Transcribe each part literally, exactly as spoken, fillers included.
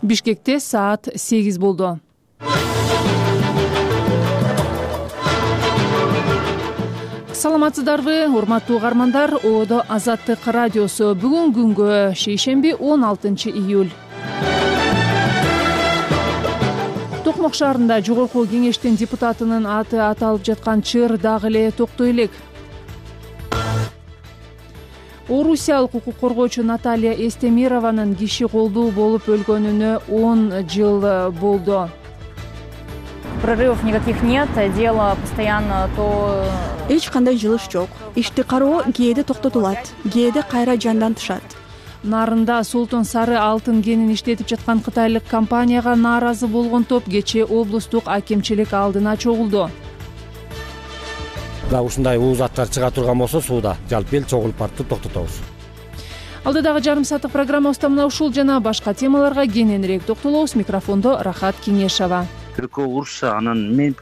Бишкекте саат сегиз болду. Саламатсыздарбы, урматтуу угармандар. Одо Азаттык радиосу. Бүгүн күнгө шейшемби он алтынчы июль. Токмок шаарында жогорку кеңештин депутатынын аты аталып жаткан чыр дагы эле токтой элек. Орусиялык укук коргоочу Наталья Эстемированын киши колдуу болуп өлгөнүнө он жыл болду. Прорывов никаких нет, дело постоянно то... Эч кандай жылыш жок. Ишти кароо кээде токтотулат, кээде кайра жандантышат. Нарында Солтон сары алтын кенин иштетип жаткан кытайлык компанияга нааразы болгон топ кечээ облустук акимчилик алдына чогулду. Да ушундай уу заттар чыга турган болсо сууда жалпы эл чогулуп барып токтотобуз. Алдыдагы жарым сааттык программабызда мына ушул жана башка темаларга кененирээк токтолобуз. Микрофондо Рахат Кеңешова. Түркөө урушса анан мен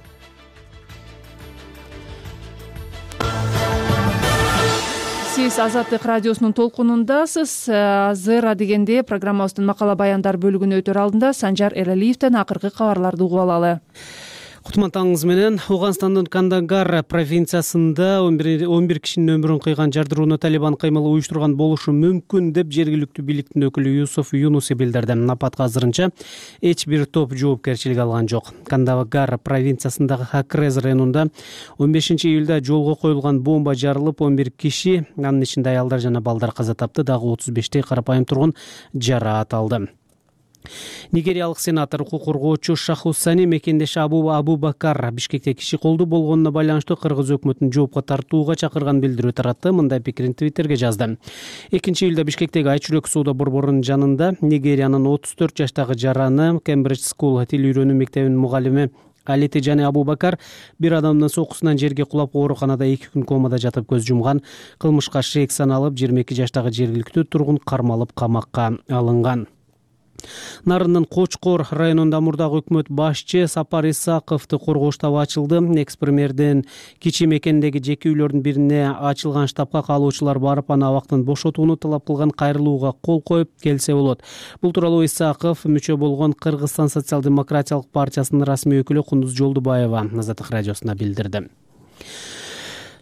Сиз Азаттык радиосунун толкунундасыз. Азыр адегенде программабыздын макала баяндар бөлүгүнө өтөр алдында Санжар Эралиевден акыркы кабарларды угуп алалы. Кутмантаңыз менен. Ауганстандын Кандагар провинциясында он бир кишинин өмүрүн кыйган жардырууну Талибан кыймылы уюштурган болушу мүмкүн деп жергиликтүү бийликтин өкүлү Юсуф Юнуси билдирди. Апатка азырынча эч бир топ жоопкерчилик алган жок. Кандагар провинциясындагы Хакрез районунда он бешинчи июлда жолго коюлган бомба жарылып, он бир киши, анын ичинде аялдар жана балдар каза тапты, дагы отуз бештей карапайым тургун жараат алды. Нигериялык сенатор укук коргоочу Шахусани мекендеши Абу Абубакар Бишкекте киши колдуу болгонуна байланыштуу кыргыз өкмөтүн жоопко тартууга чакырган билдирүү таратты. Мындай пикирин Твиттерге жазды. экинчи июлда Бишкектеги Айчүрөк соода борборунун жанында Нигериянын отуз төрт жаштагы жараны Кембридж School тил үйрөнүү мектебинин мугалими Алити Жани Абубакар бир адамдын сокусунан жерге кулап ооруканада эки күн комада жатып көз жумган. Кылмышка шек саналып, жыйырма эки жаштагы жергиликтүү тургун кармалып камакка алынган. Нарындын Кочкор районунда мурдагы өкмөт башчы Сапар Исаковду коргоо штабы ачылды. Экс-премьердин кичи мекендеги жеке үйлөрдүн бирине ачылган штабка каалоочулар барып, аны абактан бошотууну талап кылган кайрылууга кол коюп келсе болот. Бул тууралуу Исаков мүчө болгон Кыргызстан социал-демократиялык партиясынын расмий өкүлү Кундуз Жолдубаева Азаттык радиосуна билдирди.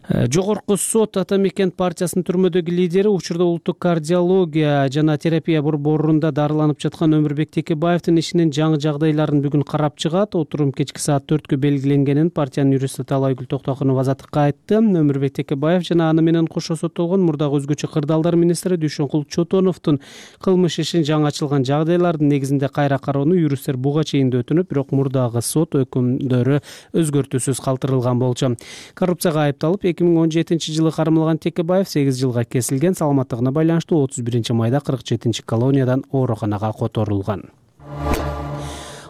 Жогорку сот Атамекен партиясынын түрмөдөгү лидери учурда улуттук кардиология жана терапия борборунда дарыланып жаткан Өмүрбек Текебаевдин ишинин жаңы жагдайларын бүгүн карап чыгат. Отурум кечки саат төрткө белгиленгенин партиянын юристи Талайгүл Токтокунова Азаттыкка айтты. Өмүрбек Текебаев жана аны менен кошо соттолгон мурдагы өзгөчө кырдаалдар министри Дүйшөнкул Чотоновдун кылмыш ишин жаңы ачылган жагдайлардын негизинде кайра кароону юристтер буга чейин да өтүнүп, бирок мурдагы сот өкүмдөрү өзгөртүүсүз калтырылган болчу. Коррупцияга айыпталып эки миң он жетинчи жылы кармалган Текебаев сегиз жылга кесилген. Саламаттыгына байланыштуу отуз биринчи майда кырк жетинчи колониядан ооруканага которулган.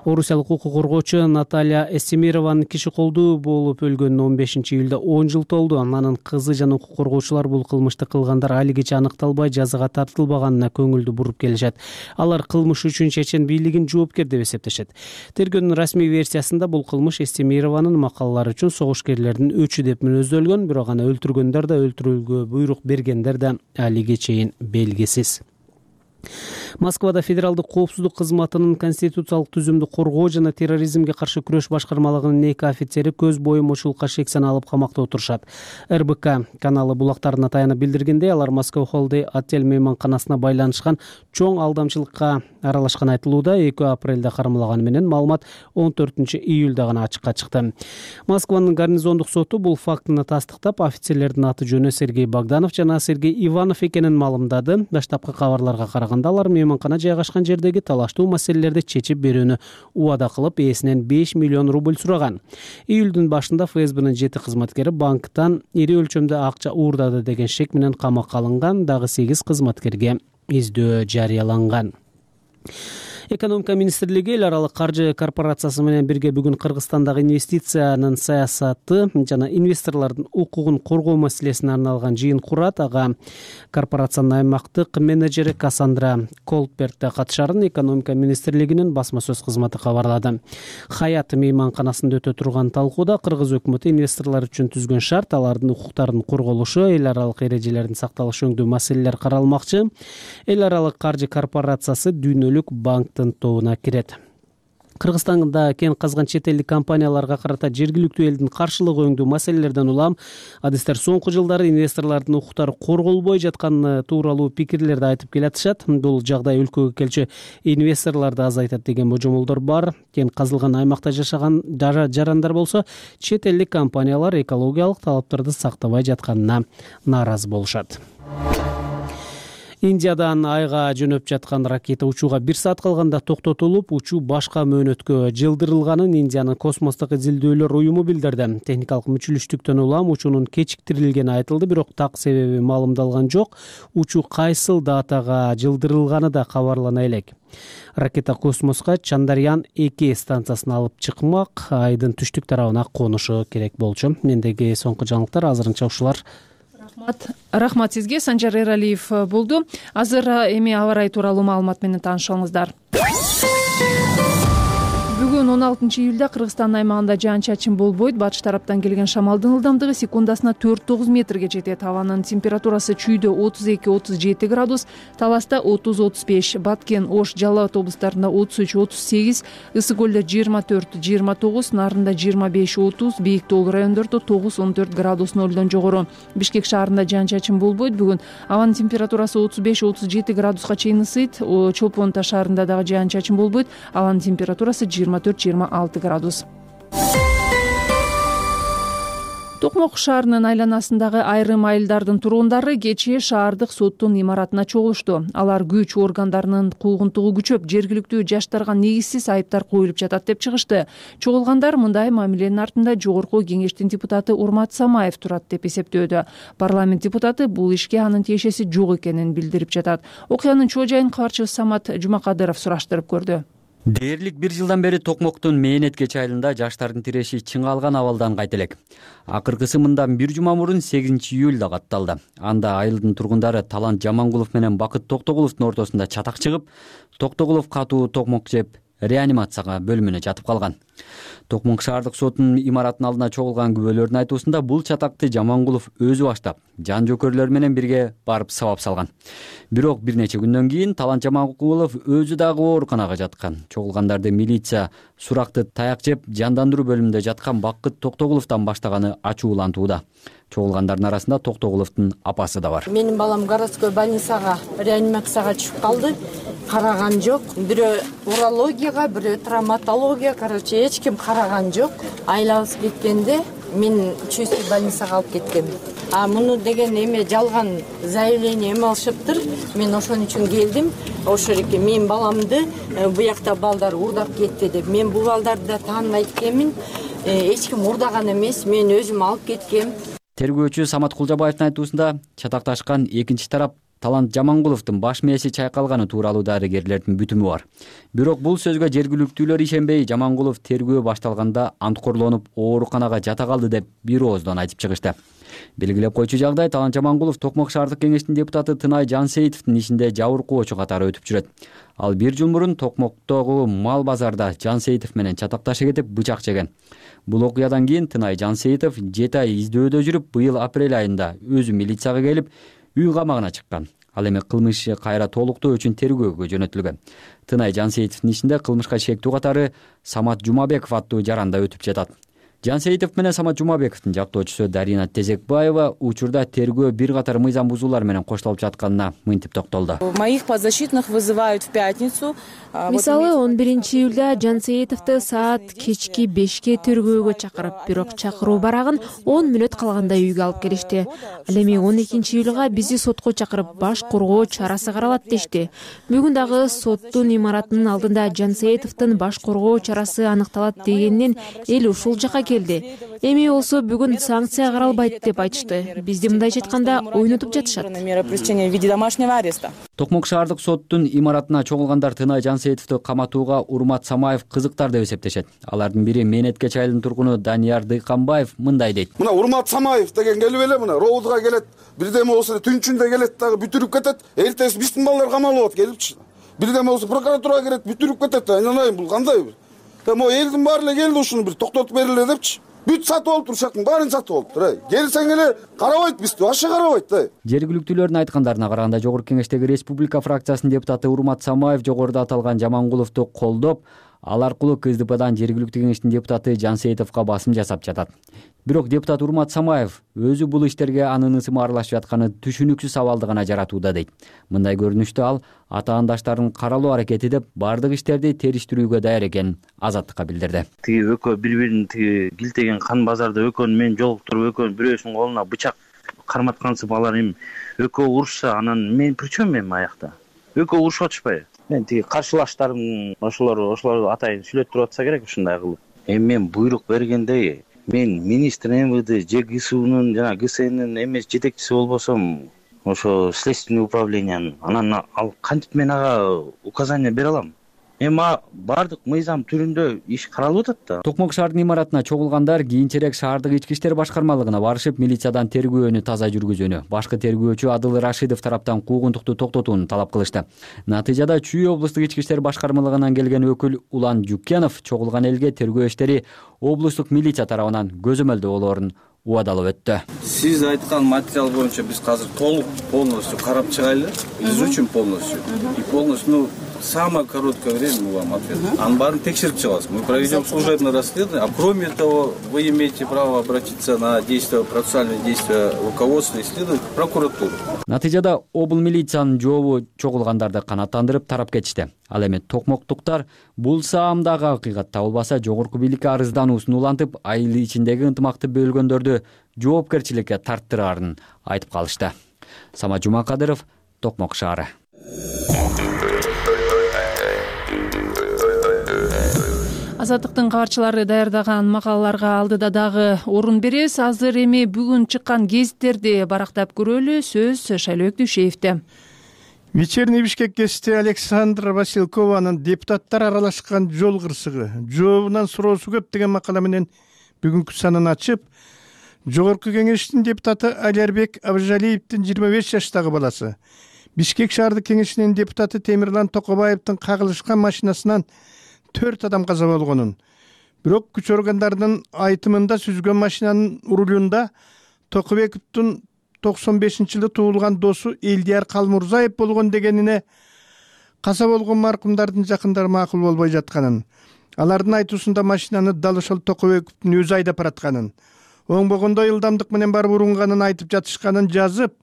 Орусиялык укук коргоочу Наталья Эстемированын киши колдуу болуп өлгөнүнө он бешинчи июлда он жыл толду. Анын кызы жана укук коргоочулар бул кылмышты кылгандар алигиче аныкталбай жазага тартылбаганына көңүлдү буруп келишет. Алар кылмыш үчүн чечен бийлигин жоопкер деп эсептешет. Тергөөнүн расмий версиясында бул кылмыш Эстемированын макалалары үчүн согушкерлердин өчү деп мүнөздөлгөн, бирок аны өлтүргөндөр да, өлтүрүүгө буйрук бергендер да алиге чейин белгисиз. Москвада Федералдык коопсуздук кызматынын конституциялык түзүмдү коргоо жана терроризмге каршы күрөш башкармалыгынын эки офицери көз боюмочулукка шек саналып камакта отурушат. эр бэ ка каналы булактарына таянып билдиргендей, алар Москва Холдей отель мейманканасына байланышкан чоң алдамчылыкка аралашкан айтылууда. эки апрелде кармалганы менен маалымат он төртүнчү июлда гана ачыкка чыкты. Москванын гарнизондук соту бул фактыны тастыктап, офицерлердин аты жөнү Сергей Богданов жана Сергей Иванов экенин маалымдады. Даштапкы кабарларга караганда алар мейманкана жайгашкан жердеги талаштуу маселелерди чечип берүүнү убада кылып, ээсинен беш миллион рубль сураган. Июлдун башында эф эс бнын жети кызматкери банктан ири өлчөмдө акча уурдады деген шек менен камакка алынган. Дагы сегиз кызматкерге издөө жарыяланган. Экономика министрлиги эл аралык каржы корпорациясы менен бирге бүгүн Кыргызстандагы инвестициянын саясаты жана инвесторлордун укугун коргоо маселесине арналган жыйын курат. Ага корпорациянын аймактык менеджери Кассандра Колперт катышарын экономика министрлигинин басма сөз кызматы кабарлады. Хаят мейманканасында өтө турган талкууда кыргыз өкмөтү инвесторлор үчүн түзгөн шарт, алардын укуктарынын корголушу, эл аралык эрежелердин сакталышы өңдүү маселелер каралмакчы. Эл аралык каржы корпорациясы дүйнөлүк банк тынтоона кирет. Кыргызстанда кен казган чет элдик компанияларга карата жергиликтүү элдин каршылыгы өңдүү маселелерден улам адистер соңку жылдары инвесторлордун укуктары корголбой жатканы тууралуу пикирлерди айтып келатышат. Бул жагдай өлкөгө келчү инвесторлорду азайтат деген божомолдор бар. Кен казылган аймакта жашаган жарандар болсо чет элдик компаниялар экологиялык талаптарды сактабай жатканына нааразы болушат. Индиядан айга жөнөп жаткан ракета учууга бир саат калганда токтотулуп, учуу башка мөөнөткө жылдырылганын Индиянын космостук изилдөөлөр уюму билдирди. Техникалык мүчүлүштүктөн улам учуунун кечиктирилгени айтылды, бирок так себеби маалымдалган жок. Учуу кайсыл датага жылдырылганы да кабарлана элек. Ракета космоско Чандарян эки станциясын алып чыкмак, айдын түштүк тарабына конушу керек болчу. Мендеги соңку жаңылыктар азырынча ушулар. Рахмат. Рахмат сизге. Санжар Эралиев болду. Азыр эми аба ырайы тууралуу маалымат менен таанышыңыздар. Бүгүн он алтынчы июлда Кыргызстан аймагында жаан-чачын болбойт. Батыш тараптан келген шамалдын ылдамдыгы секундасына төрт тогуз метрге жетет. Абанын температурасы чүйдө отуз эки отуз жети градус, Таласта отуз отуз беш, Баткен, Ош, Жалал Абад облустарында отуз үч отуз сегиз, Ысык көлдө жыйырма төрт жыйырма тогуз, Нарында жыйырма беш отуз, Бийик тоолуу райондордо тогуз он төрт градус нөлдөн жогору. Бишкек шаарында жаан-чачын болбойт. Бүгүн абанын температурасы отуз беш отуз жети градуска чейин ысыйт. Чолпон Таш шаарында дагы жаан-чачын болбойт. Абанын температурасы жыйырма төрт жыйырма алты градус. Токмок шаарынын айланасындагы айрым айылдардын тургундары кечээ шаардык соттун имаратына чогулушту. Алар күч органдарынын куугунтугу күчөп, жергиликтүү жаштарга негизсиз айыптар коюлуп жатат деп чыгышты. Чогулгандар мындай мамиленин артында жогорку кеңештин депутаты Урмат Самаев турат деп эсептөөдө. Парламент депутаты бул ишке анын тиешеси жок экенин билдирип жатат. Окуянын чоо жайын кабарчыбыз Самат Жумакадыров сураштырып көрдү. Дээрлик бир жылдан бери Токмоктун Мээнеткеч айылында жаштардын тиреши чыңалган абалдан кайта элек. Акыркысы мындан бир жума мурун сегизинчи июлда катталды. Анда айылдын тургундары Талант Жамангулов менен Бакыт Токтогуловдун ортосунда чатак чыгып, Токтогулов катуу токмок жеп реанимацияга бөлүмүнө жатып калган. Токмок шаардык сотунун имаратынын алдына чогулган күбөлөрдүн айтуусунда бул чатакты Жамангулов өзү баштап, жан жөкөрлөр менен бирге барып сабап салган. Бирок бир нече күндөн кийин Талант Жамангулов өзү дагы ооруканага жаткан. Чогулгандарды милиция суракты таяк жеп жандандыруу бөлүмүндө жаткан Бакыт Токтогуловдон баштаганы ачуулантууда. Чогулгандардын арасында Токтогуловдун апасы да бар. Менин балам городской больницага реанимацияга чыгып калды. Караган жок. Бирөө урологияга, бирөө травматология, короче, эч ким караган жок. Айлабыз кеткенде мен чүйсү больницага алып кеткем. А муну деген эме жалган заявление эме алышыптыр. Мен ошон үчүн келдим. Ошо эки менин баламды буякта балдар урдап кетти деп. Мен бул балдарды да тааныбайт экенмин. Эч ким урдаган эмес, мен өзүм алып кеткем. Тергөөчү Самат Кулжабаевдин айтуусунда чатакташкан экинчи тарап Талант Жамангуловдун баш мээси чайкалганы тууралуу дарыгерлердин бүтүмү бар. Бирок бул сөзгө жергиликтүүлөр ишенбей, Жамангулов тергөө башталганда анткорлонуп ооруканага жата калды деп бир ооздон айтып чыгышты. Белгилеп койчу жагдай, Талант Жамангулов Токмок шаардык кеңештин депутаты Тынай Жансейитовдун ишинде жабыркоочу катары өтүп жүрөт. Ал бир жыл мурун Токмоктогу мал базарда Жансейитов менен чатакташа кетип бычак жеген. Бул окуядан кийин Тынай Жансейитов жети ай издөөдө жүрүп, быйыл апрель айында өзү милицияга келип, үй камагына чыккан. Ал эми кылмыш кайра толуктоо үчүн тергөөгө жөнөтүлгөн. Тынай Жансейитовдун ишинде кылмышка шектүү катары Самат Жумабеков аттуу жаранда өтүп жатат. Жансейитов менен Самат Жумабековдун жактоочусу Дарина Тезекбаева учурда тергөө бир катар мыйзам бузуулар менен коштолуп жатканына мынтип токтолду. Моих подзащитных вызывают в пятницу. Мисалы он биринчи июлда Жансейитовду саат кечки бешке тергөөгө чакырып, бирок чакыруу барагын он мүнөт калганда үйгө алып келишти. Ал эми он экинчи июлга бизди сотко чакырып, баш коргоо чарасы каралат дешти. Бүгүн дагы соттун имаратынын алдында Жансейитовдун баш коргоо чарасы аныкталат дегенден эл ушул жака келди. Эми болсо бүгүн санкция каралбайт деп айтышты. Бизди мындайча айтканда ойнотуп жатышат. Токмок шаардык соттун имаратына чогулгандар Тынай Жансейитовду каматууга Урмат Самаев кызыктар деп эсептешет. Алардын бири Мээнеткеч айылынын тургуну Данияр Дыйканбаев мындай дейт. Мына Урмат Самаев деген келип эле мына роудга келет, бирдеме болсо түнчүндө келет дагы бүтүрүп кетет. Эртеси биздин балдар камалып келипчи. Бирдеме болсо прокуратурага келет, бүтүрүп кетет. Айналайын, бул кандай бир. Эми элдин баары эле келди ушуну бир токтотуп бериле депчи. бүт сатып алып турушактын баарын сатып алыптыр. Ай, келсең эле карабайт бизди, вообще карабайт да. Жергиликтүүлөрдүн айткандарына караганда Жогорку Кеңештеги Республика фракциясынын депутаты Урмат Самаев жогоруда аталган Жамангуловду колдоп, ал аркылуу КСДПдан жергиликтүү кеңештин депутаты Жансейитовго басым жасап жатат. Бирок депутат Урмат Самаев өзү бул иштерге анын ысымы аралашып жатканы түшүнүксүз абалды гана жаратууда дейт. Мындай көрүнүштө ал атаандаштарын каралоо аракети деп бардык иштерди териштирүүгө даяр экенин Азаттыкка билдирди. Тиги экөө бири-бирин тиги килтеген кан базарда экөөнү мен жолуктуруп, экөөнүн бирөөсүнүн колуна бычак карматкансып алар эми экөө урушса, анан мен причем эми аякта? Экөө урушуп атышпайбы? Мен тиги каршылаштарым ошолор ошолор атайын сүйлөтүп туруп атса керек ушундай кылып. Эми мен буйрук бергендей, мен министр МВД же ГСУнун жана ГСНнин эмес жетекчиси болбосом, ошо следственный управлениянын, анан ал кантип мен ага указание бере алам? Эми бардык мыйзам түрүндө иш каралып атат да. Токмок шаардын имаратына чогулгандар кийинчерээк шаардык ички иштер башкармалыгына барышып, милициядан тергөөнү таза жүргүзүүнү, башкы тергөөчү Адыл Рашидов тараптан куугунтукту токтотууну талап кылышты. Натыйжада Чүй облустук ички иштер башкармалыгынан келген өкүл Улан Жукенов чогулган элге тергөө иштери облустук милиция тарабынан көзөмөлдө болоорун убадалап өттү. Сиз айткан материал боюнча биз азыр толук полностью карап чыгайлы. Биз үчүн полностью. И полностью, ну, самое короткое время мы вам ответим. Анын баарын текшерип чыгабыз. Мы проведем служебное расследование. А кроме того, вы имеете право обратиться на действия, процессуальные действия руководства и следователя в прокуратуру. Натыйжада обл милициянын жообу чогулгандарды канааттандырып тарап кетишти. Ал эми токмоктуктар бул саамдагы акыйкатта болбаса жогорку бийликке арыздануусун улантып, айыл ичиндеги ынтымакты бөлгөндөрдү жоопкерчиликке тарттыраарын айтып калышты. Самат Жумакадыров, Токмок шаары. Азаттыктын кабарчылары даярдаган макалаларга алдыда дагы орун беребиз. Азыр эми бүгүн чыккан гезиттерди барактап көрөлү. Сөз Шайлоок Дүйшеевде. Вечерний Бишкек гезити Александра Василкованын депутаттар аралашкан жол кырсыгы, жообунан суроосу көп деген макала менен бүгүнкү санын ачып, Жогорку Кеңештин депутаты Алярбек Абыжалиевдин жыйырма беш жаштагы баласы, Бишкек шаардык кеңешинин депутаты Темирлан Токобаевдин кагылышкан машинасынан төрт адам каза болгонун, бирок күч органдарынын айтымында сүзгөн машинанын рулунда Токобековдун токсон бешинчи жылы туулган досу Элдияр Калмурзаев болгон дегенине каза болгон маркумдардын жакындары макул болбой жатканын, алардын айтуусунда машинаны дал ошол Токобековдун өзү айдап баратканын, оңбогондой ылдамдык менен барып урунганын айтып жатышканын жазып,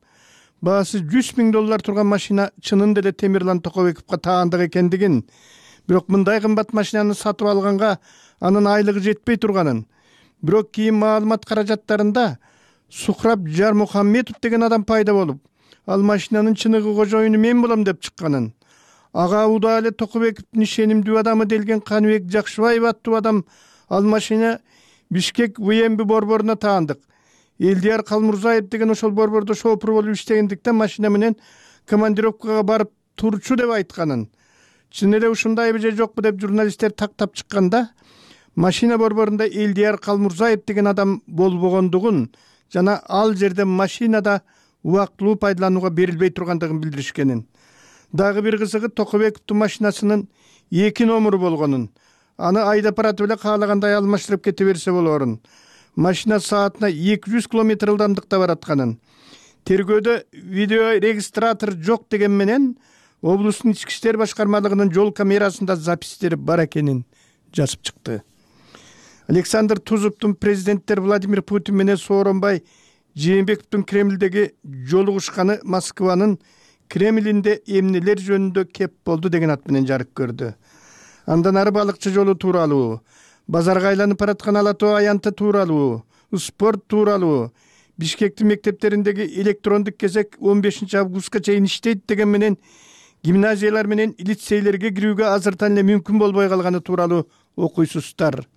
баасы жүз миң доллар турган машина чынында эле Темирлан Токобековго таандык экендигин, бирок мындай кымбат машинаны сатып алганга анын айлыгы жетпей турганын, бирок кийин маалымат каражаттарында Сухраб Жармухаммедов деген адам пайда болуп, ал машинанын чыныгы кожоюну мен болом деп чыкканын, ага уда эле Токобековдун ишенимдүү адамы делген Каныбек Жакшыбаев аттуу адам ал машина Бишкек ВМБ борборуна таандык. Элдияр Калмурзаев деген ошол борбордо шофер болуп иштегендиктен машина менен командировкага барып турчу деп айтканын. Чын эле ушундайбы же жокпу деп журналисттер тактап чыкканда, машина борборунда Элдияр Калмурзаев деген адам болбогондугун жана ал жерде машинада убактылуу пайдаланууга берилбей тургандыгын билдиришкенин. Дагы бир кызыгы Токобековдун машинасынын эки номуру болгонун, аны айдап баратып эле каалагандай алмаштырып кете берсе болоорун. Машина саатына эки жүз километр ылдамдыкта баратканын. Тергөөдө видеорегистратор жок деген менен облустун ички иштер башкармалыгынын жол камерасында запистери бар экенин жазып чыкты. Александр Тузовдун президенттер Владимир Путин менен Сооронбай Жээнбековдун Кремлдеги жолугушканы Москванын Кремлинде эмнелер жөнүндө кеп болду деген ат менен жарык көрдү. Андан ары балыкчы жолу тууралуу, базарга айланып бараткан Ала Тоо аянты тууралуу, спорт тууралуу, Бишкектин мектептериндеги электрондук кезек он бешинчи августка чейин иштейт деген менен гимназиялар менен лицейлерге кирүүгө азыртан эле мүмкүн болбой калганы тууралуу окуйсуздар.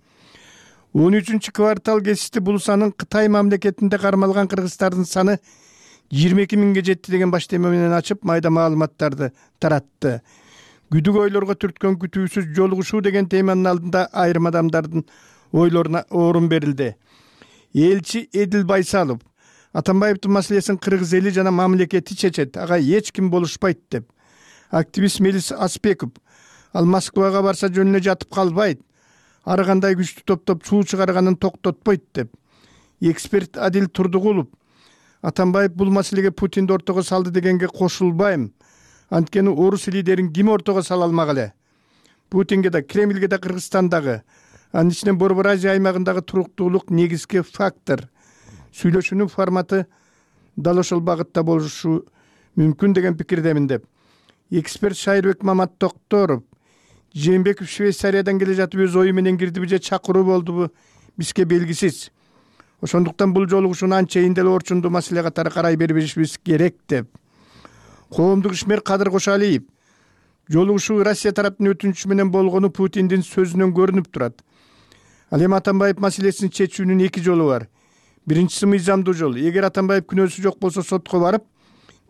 он үчүнчү квартал гезити бул санын Кытай мамлекетинде кармалган кыргыздардын саны жыйырма эки миңге жетти деген баштема менен ачып майда маалыматтарды таратты. Күдүк ойлорго түрткөн күтүүсүз жолугушуу деген теманын алдында айрым адамдардын ойлоруна орун берилди. Элчи Эдил Байсалов Атамбаевдин маселесин кыргыз эли жана мамлекети чечет, ага эч ким болушпайт деп. Активист Мелис Аспеков ал Москвага барса жөнүнө жатып калбайт. ар кандай күчтү топтоп суу чыгарганын токтотпойт деп. Эксперт Адил Турдугулов Атамбаев бул маселеге Путинди ортого салды дегенге кошулбайм. Анткени орус лидерин ким ортого сала алмак эле? Путинге да, Кремльге да, Кыргызстандагы, анын ичинен Борбор Азия аймагындагы туруктуулук негизги фактор. Сүйлөшүүнүн форматы дал ошол багытта болушу мүмкүн деген пикирдемин деп. Эксперт Шайырбек Мамат Токторов Жээнбеков Швейцариядан келе жатып өз ою менен кирдиби же чакыруу болдубу бизге белгисиз. Ошондуктан бул жолугушууну анчейин деле орчундуу маселе катары карай бербешибиз керек деп. Коомдук ишмер Кадыр Кошалиев жолугушуу Россия тараптын өтүнүчү менен болгону Путиндин сөзүнөн көрүнүп турат. Ал эми Атамбаев маселесин чечүүнүн эки жолу бар. Биринчиси мыйзамдуу жол. Эгер Атамбаев күнөөсү жок болсо сотко барып,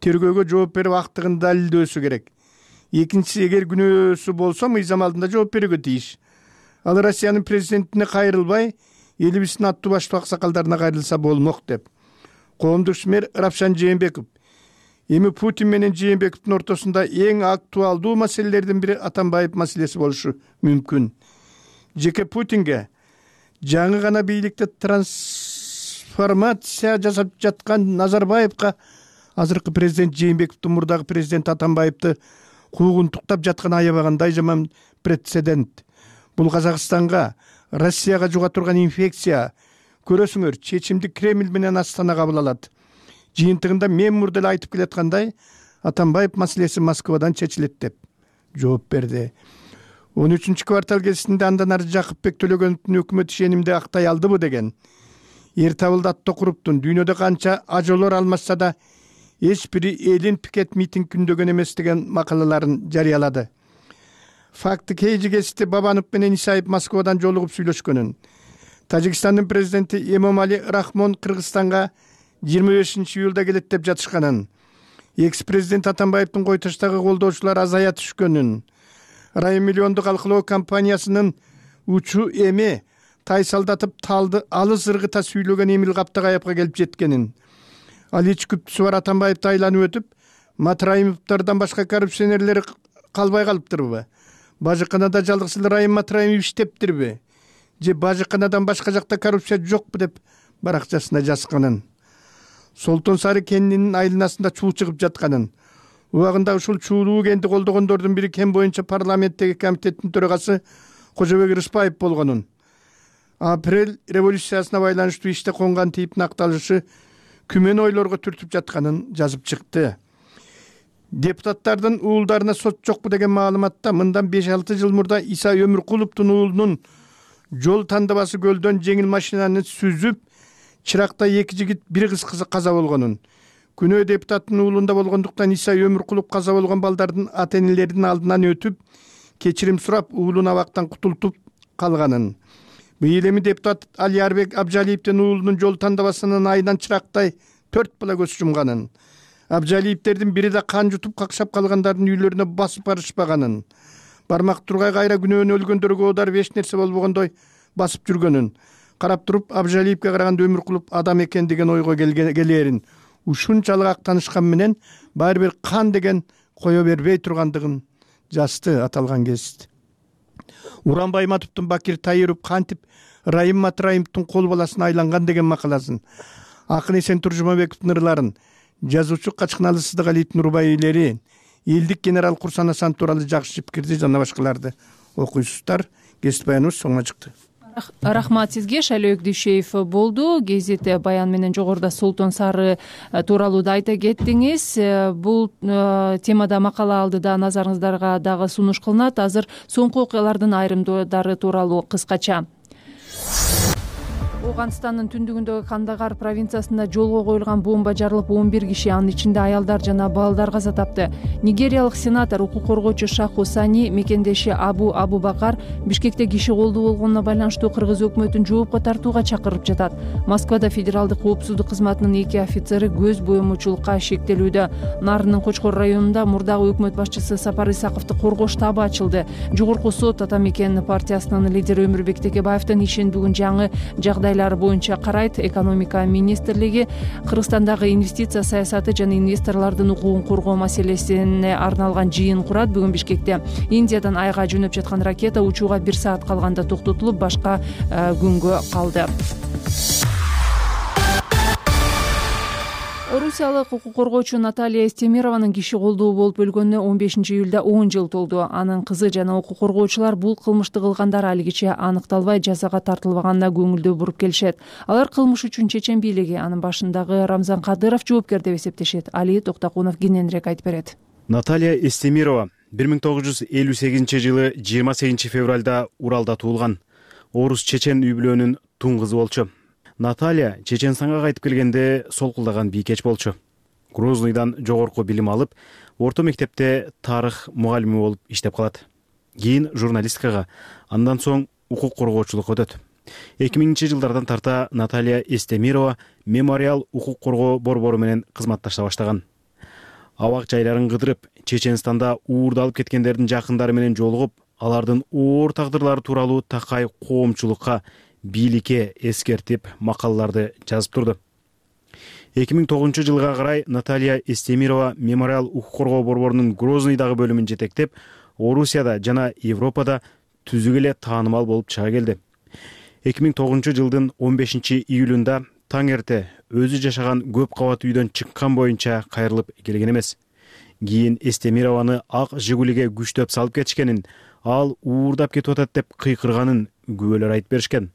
тергөөгө жооп берип актыгын далилдөөсү керек. Экинчиси, эгер күнөөсү болсо мыйзам алдында жооп берүүгө тийиш. Ал Россиянын президентине кайрылбай, элибиздин аттуу баштуу аксакалдарына кайрылса болмок деп. Коомдук ишмер Равшан Жээнбеков эми Путин менен Жээнбековдун ортосунда эң актуалдуу маселелердин бири Атамбаев маселеси болушу мүмкүн. Жеке Путинге жаңы гана бийликте трансформация жасап жаткан Назарбаевка азыркы президент Жээнбековдун мурдагы президент Атамбаевди куугунтуктап жатканы аябагандай жаман прецедент. Бул Казакстанга, Россияга жуга турган инфекция. Көрөсүңөр, чечимди Кремль менен Астана кабыл алат. Жыйынтыгында мен мурда эле айтып келаткандай, Атамбаев маселеси Москвадан чечилет деп жооп берди. он үчүнчү квартал кезинде андан ары Жакыпбек Төлөгөновдун өкмөт ишенимди актай алдыбы деген. Эр табылды ат токуруптун дүйнөдө канча ажолор алмашса да эч бири элин пикет митинг күндөгөн эмес деген макалаларын жарыялады. Факты кейжи кести Бабанов менен Исаев Москвадан жолугуп сүйлөшкөнүн. Тажикстандын президенти Эмомали Рахмон Кыргызстанга жыйырма бешинчи июлда келет деп жатышканын. Экс-президент Атамбаевдин Койташтагы колдоочулары азая түшкөнүн. Райым миллиондук алкылоо компаниясынын учу эми тайсалдатып талды алыс ыргыта сүйлөгөн Эмил Каптагаяпка келип жеткенин. Ал эч күптүсү бар Атамбаевди айланып өтүп, Матраимовдордон башка коррупционерлер калбай калыптырбы? Бажыканада жалгыз эле Райым Матраимов иштептирби? Же Бажыканадан башка жакта коррупция жокпу деп баракчасына жазганын. Солтон Сары кенинин айланасында чуу чыгып жатканын. Убагында ушул чуулуу кенди колдогондордун бири кен боюнча парламенттеги комитеттин төрагасы Кожобек Рыспаев болгонун. Апрель революциясына байланыштуу иште конгон тийиптин акталышы күмөн ойлорго түртүп жатканын жазып чыкты. Депутаттардын уулдарына сот жокпу деген маалыматта мындан беш алты жыл мурда Иса Өмүркуловдун уулунун жол тандабасы көлдөн жеңил машинаны сүзүп, чыракта эки жигит бир кыз каза болгонун. Күнөө депутаттын уулунда болгондуктан Иса Өмүркулов каза болгон балдардын ата-энелеринин алдынан өтүп, кечирим сурап, уулун абактан кутултуп калганын. Быйыл эми депутат Алиярбек Абжалиевдин уулунун жол тандабасынын айынан чырактай төрт бала көз жумганын. Абжалиевдердин бири да кан жутуп какшап калгандардын үйлөрүнө басып барышпаганын. Бармак тургай кайра күнөөнө өлгөндөргө одар эч нерсе болбогондой басып жүргөнүн. Карап туруп Абжалиевге караганда Өмүркулов адам экен деген ойго келерин. Ушунчалык актанышкан менен баары бир кан деген кое бербей тургандыгын жазды аталган гезит. Уран Байматовдун Бакир Тайыров кантип Райым Матраимовдун кол баласына айланган деген макаласын, Акын Эсен Туржумабековдун ырларын, жазуучу Качкыналы Сыздыгалиевдин рубаилери, элдик генерал Курсан Асан тууралуу жакшы пикирди жана башкаларды окуйсуздар. Гезит баяныбыз соңуна чыкты. Рахмат сизге. Шайлөөк Дүйшеев болду. Гезит баян менен жогоруда Солтон Сары тууралуу да айта кеттиңиз. Бул темада макала алдыда назарыңыздарга дагы сунуш кылынат. Азыр соңку окуялардын айрымдары тууралуу кыскача. Ооганстандын түндүгүндөгү Кандагар провинциясында жолго коюлган бомба жарылып он бир киши, анын ичинде аялдар жана балдар каза тапты. Нигериялык сенатор укук коргоочу Шаху Сани мекендеши Абу Абубакар Бишкекте киши колдуу болгонуна байланыштуу кыргыз өкмөтүн жоопко тартууга чакырып жатат. Москвада федералдык коопсуздук кызматынын эки офицери көз боемочулукка шектелүүдө. Нарынын Кочкор районунда мурдагы өкмөт башчысы Сапар Исаковду коргоо штабы ачылды. Жогорку сот Ата мекен партиясынын лидери Өмүрбек Текебаевдин ишин бүгүн жаңы жагдай жагдайлары боюнча карайт. Экономика министрлиги Кыргызстандагы инвестиция саясаты жана инвесторлордун укугун коргоо маселесине арналган жыйын курат. Бүгүн Бишкекте Индиядан айга жөнөп жаткан ракета учууга бир саат калганда токтотулуп, башка күнгө калды. Орусиялык укук коргоочу Наталья Эстемированын киши колдоо болуп өлгөнүнө он бешинчи июлда он жыл толду. Анын кызы жана укук коргоочулар бул кылмышты кылгандар алигиче аныкталбай жазага тартылбаганына көңүлдүү буруп келишет. Алар кылмыш үчүн чечен бийлиги, анын башындагы Рамзан Кадыров жоопкер деп эсептешет. Али Токтакунов кененирээк айтып берет. Наталья Эстемирова бир миң тогуз жүз элүү сегизинчи жылы жыйырма сегизинчи февралда Уралда туулган. Орус чечен үй бүлөнүн тун кызы болчу. Наталья Чеченстанга кайтып келгенде солкулдаган бийкеч болчу. Грознойдон жогорку билим алып, орто мектепте тарых мугалими болуп иштеп калат. Кийин журналистикага, андан соң укук коргоочулукка өтөт. эки миңинчи жылдардан тарта Наталья Эстемирова мемориал укук коргоо борбору менен кызматташа баштаган. Абак жайларын кыдырып, Чеченстанда уурдалып кеткендердин жакындары менен жолугуп, алардын оор тагдырлары тууралуу такай коомчулукка, бийликке эскертип макалаларды жазып турду. эки миң тогузунчу жылга карай Наталья Эстемирова мемориал укук коргоо борборунун Грознойдагы бөлүмүн жетектеп, Орусияда жана Европада түзүк эле таанымал болуп чыга келди. эки миң тогузунчу жылдын он бешинчи июлунда таң эрте өзү жашаган көп кабат үйдөн чыккан боюнча кайрылып келген эмес. Кийин Эстемированы ак Жигулиге күчтөп салып кетишкенин, ал уурдап кетип атат деп кыйкырганын күбөлөр айтып беришкен.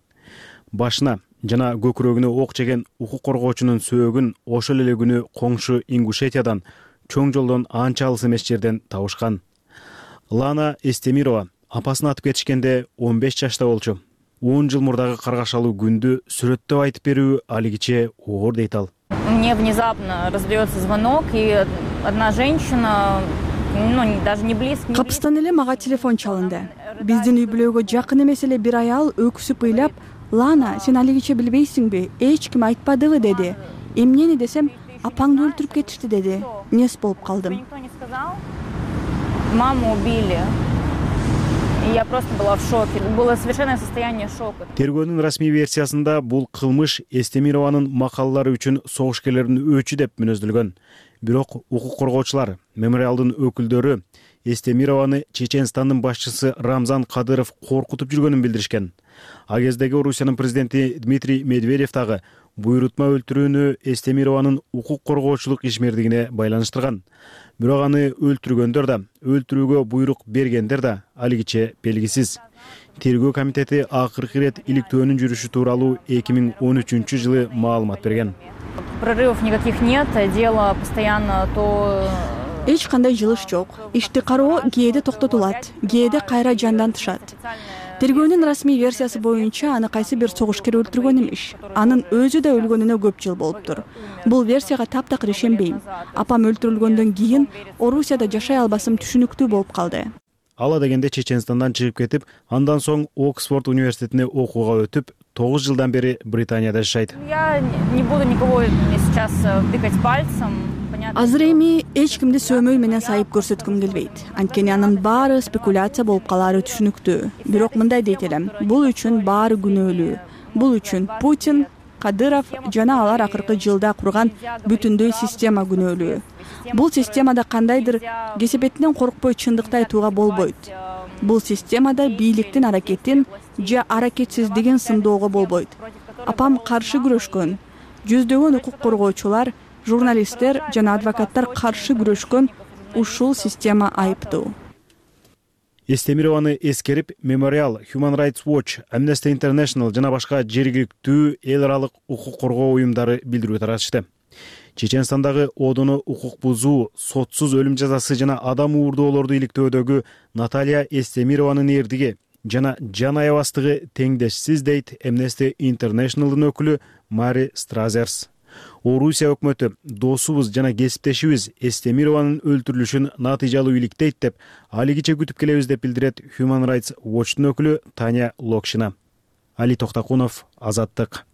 Башына жана көкүрөгүнө ок жеген укук коргоочунун сөөгүн ошол эле күнү коңшу Ингушетиядан, чоң жолдон анча алыс эмес жерден табышкан. Лана Эстемирова апасын атып кетишкенде он беш жашта болчу. он жыл мурдагы каргашалуу күндү сүрөттөп айтып берүү алигиче оор дейт ал. Мне внезапно раздается звонок, и одна женщина, ну, даже не близко. Капыстан эле мага телефон чалынды. Биздин үй бүлөгө жакын эмес эле бир аял өксүп ыйлап, "Лана, сен алигиче билбейсиңби? Эч ким айтпадыбы?" деди. Эмнени десем, "Апаңды өлтүрүп кетишти" деди. Нес болуп калдым. Маму убили. Я просто была в шоке. Было совершенное состояние шока. Тергөөнүн расмий версиясында бул кылмыш Эстемированын макалалары үчүн согушкерлердин өчү деп мүнөздөлгөн. Бирок укук коргоочулар, мемориалдын өкүлдөрү Эстемированы Чеченстандын башчысы Рамзан Кадыров коркутуп жүргөнүн билдиришкен. А кездеги Орусиянын президенти Дмитрий Медведев дагы буйрутма өлтүрүүнү Эстемированын укук коргоочулук ишмердигине байланыштырган. Бирок аны өлтүргөндөр да, өлтүрүүгө буйрук бергендер да алигиче белгисиз. Тергөө комитети акыркы ирет иликтөөнүн жүрүшү тууралуу эки миң он үчүнчү жылы маалымат берген. Прорывов никаких нет, дело постоянно то... Эч кандай жылыш жок. Ишти кароо кээде токтотулат, кээде кайра жандан тышат. Тергөөнүн расмий версиясы боюнча аны кайсы бир согушкер өлтүргөн эмиш. Анын өзү да өлгөнүнө көп жыл болуптур. Бул версияга таптакыр ишенбейм. Апам өлтүрүлгөндөн кийин Орусияда жашай албасым түшүнүктүү болуп калды. Ала дегенде Чеченстандан чыгып кетип, андан соң Оксфорд университетине окууга өтүп, тогуз жылдан бери Британияда жашайт. Я не буду никого сейчас тыкать пальцем. Азыр эми эч кимди сөөмөй менен сайып көрсөткүм келбейт. Анткени анын баары спекуляция болуп калары түшүнүктүү. Бирок мындай дейт элем, бул үчүн баары күнөөлүү. Бул үчүн Путин, Кадыров жана алар акыркы жылда курган бүтүндөй система күнөөлүү. Бул системада кандайдыр кесепетинен коркпой чындыкты айтууга болбойт. Бул системада бийликтин аракетин же аракетсиздигин сындоого болбойт. Апам каршы күрөшкөн, жүздөгөн укук коргоочулар, журналисттер жана адвокаттар каршы күрөшкөн ушул система айыптуу. Эстемированы эскерип, Memorial, Human Rights Watch, Amnesty International жана башка жергиликтүү эл аралык укук коргоо уюмдары билдирүү таратышты. Чеченстандагы одону укук бузуу, сотсуз өлүм жазасы жана адам уурдоолорду иликтөөдөгү Наталья Эстемированын эрдиги жана жан аябастыгы теңдешсиз дейт Amnesty International'дын өкүлү Мари Стразерс. Орусия өкмөтү досубуз жана кесиптешибиз Эстемированын өлтүрүлүшүн натыйжалуу иликтейт деп алигиче күтүп келебиз деп билдирет Human Rights Watch'тун өкүлү Таня Локшина. Али Токтакунов, Азаттык.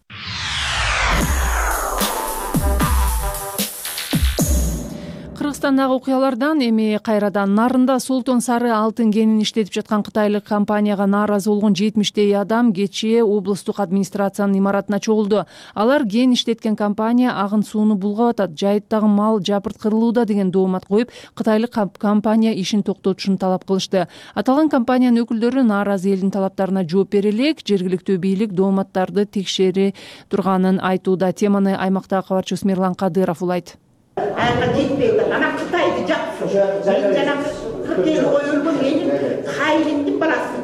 Кыргызстандагы окуялардан эми кайрадан Нарында Солтон сары алтын кенин иштетип жаткан кытайлык компанияга нааразы болгон жетимиштей адам кечээ облустук администрациянын имаратына чогулду. Алар кен иштеткен компания агын сууну булгап атат, жайыттагы мал жапырткырылууда деген доомат коюп, кытайлык компания ишин токтотушун талап кылышты. Аталган компаниянын өкүлдөрү нааразы элдин талаптарына жооп бере элек, жергиликтүү бийлик дооматтарды текшере турганын айтууда. Теманы аймактагы кабарчыбыз Мирлан Кадыров улайт. Айга жетпейди. Ана Кытайды жакшы. Мен жана кырк эл коюлган менин кайрымдын баласы.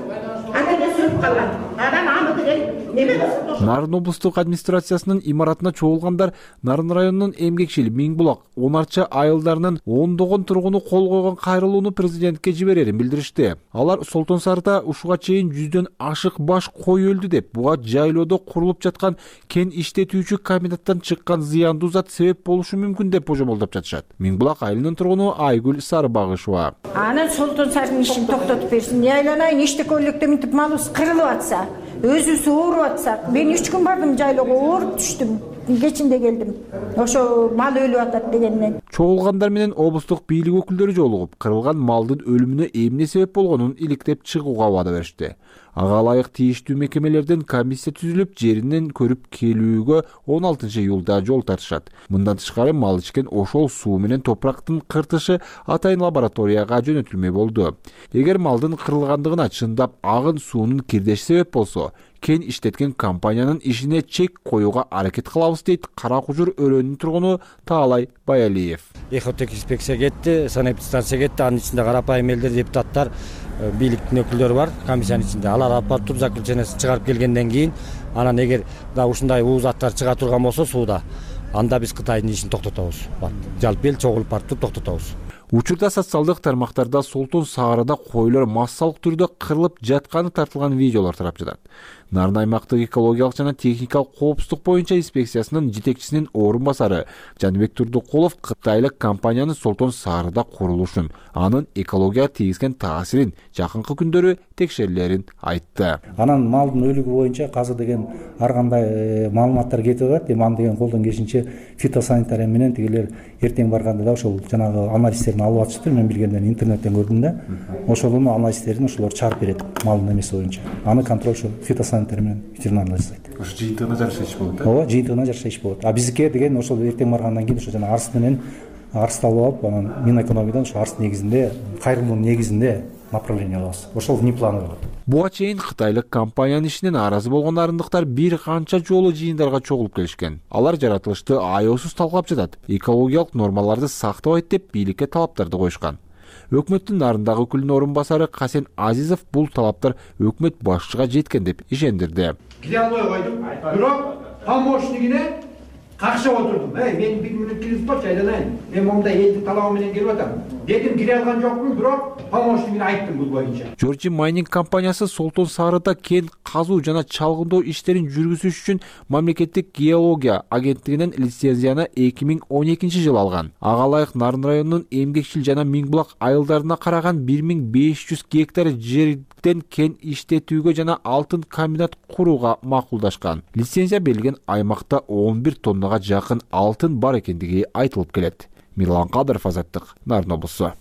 Анда сөнүп калган. Анан аны деген неме кылсын? Нарын облустук администрациясынын имаратына чогулгандар Нарын районунун эмгекчил Миңбулак Онарча айылдарынын ондогон тургуну кол койгон кайрылууну президентке жиберерин билдиришти. Алар Солтон сарыда ушуга чейин жүздөн ашык баш кой өлдү деп, буга жайлоодо курулуп жаткан кен иштетүүчү комбинаттан чыккан зыяндуу зат себеп болушу мүмкүн деп божомолдоп жатышат. Миңбулак айылынын тургуну Айгүл Сарыбагышева. Анан Солтон сарынын ишин токтотуп берсин. Айланайын иштекөөлүктө мынтип малыбыз кырылып атса, өзүбүз ооруп атсак, мен үч күн бардым жайлоого, ооруп түштүм. Кечинде келдим. Ошо мал өлүп атат дегенден. Чогулгандар менен облустук бийлик өкүлдөрү жолугуп, кырылган малдын өлүмүнө эмне себеп болгонун иликтеп чыгууга убада беришти. Ага ылайык тийиштүү мекемелерден комиссия түзүлүп, жеринен көрүп келүүгө он алтынчы июлда жол тартышат. Мындан тышкары мал ичкен ошол суу менен топурактын кыртышы атайын лабораторияга жөнөтүлмөй болду. Эгер малдын кырылгандыгына чындап агын суунун кирдеши себеп болсо, кен иштеткен компаниянын ишине чек коюуга аракет кылабыз дейт Кара Кужур өрөөнүнүн тургуну Таалай Баялиев. Экотехинспекция кетти, санэпидстанция кетти, анын ичинде карапайым элдер, депутаттар, бийликтин өкүлдөрү бар комиссиянын ичинде. Алар алып барып туруп заключениясын чыгарып келгенден кийин, анан эгер да ушундай уу заттар чыга турган болсо сууда, анда биз Кытайдын ишин токтотобуз. Жалпы эл чогулуп барып туруп токтотобуз. Учурда социалдык тармактарда Солтон саарыда койлор массалык түрдө кырылып жатканы тартылган видеолор тарап жатат. Нарын аймактык экологиялык жана техникалык коопсуздук боюнча инспекциясынын жетекчисинин орун басары Жанбек Турдукулов кытайлык компаниянын Солтон саарыда курулушун, анын экологияга тийгизген таасирин жакынкы күндөрү текшерилерин айтты. Анан малдын өлүгү боюнча азыр деген ар кандай маалыматтар кетип атат. Эми аны деген колдон келишинче фитосанитария менен тигилер эртең барганда да ошол жанагы анализдерин алып атышыптыр. Мен билгенден интернеттен көрдүм да. Ошолун анализдерин ошолор чыгарып берет малдын эмеси боюнча. Аны контроль ошо фитосанитария менен ветеринарлар жасайт. Ошо жыйынтыгына жараша иш болот да? Ооба, жыйынтыгына жараша иш болот. А биздики деген ошол эртең баргандан кийин ошо жана арс менен арсты алып алып, анан Минэкономиядан ошо арс негизинде, кайрылуунун негизинде направление алабыз. Ошол внеплановый болот. Буга чейин кытайлык компаниянын ишинен нааразы болгон арындыктар бир канча жолу жыйындарга чогулуп келишкен. Алар жаратылышты аеосуз талкалап жатат, экологиялык нормаларды сактабайт деп бийликке талаптарды коюшкан. Өкмөттүн Нарындагы өкүлүнүн орун басары Касен Азизов бул талаптар өкмөт башчыга жеткен деп ишендирди. Кире албай койдум, бирок помощнигине какшап отурдум. Эй, мен бир мүнөт киргизип койчу, айланайын. Мен мондай элдин талабы менен келип атам. Дедим, кире алган жокмун, бирок помощнигине айттым бул боюнча. Жоржи Майнинг компаниясы Солтон саарыда кен казуу жана чалгындоо иштерин жүргүзүш үчүн мамлекеттик геология агенттигинен лицензияны эки миң он экинчи жылы алган. Ага ылайык Нарын районунун Эмгекчил жана Миңбулак айылдарына караган бир миң беш жүз гектар жерден кен иштетүүгө жана алтын комбинат курууга макулдашкан. Лицензия берилген аймакта он бир тоннага жакын алтын бар экендиги айтылып келет. Мирлан Кадыров, Азаттык, Нарын облусу.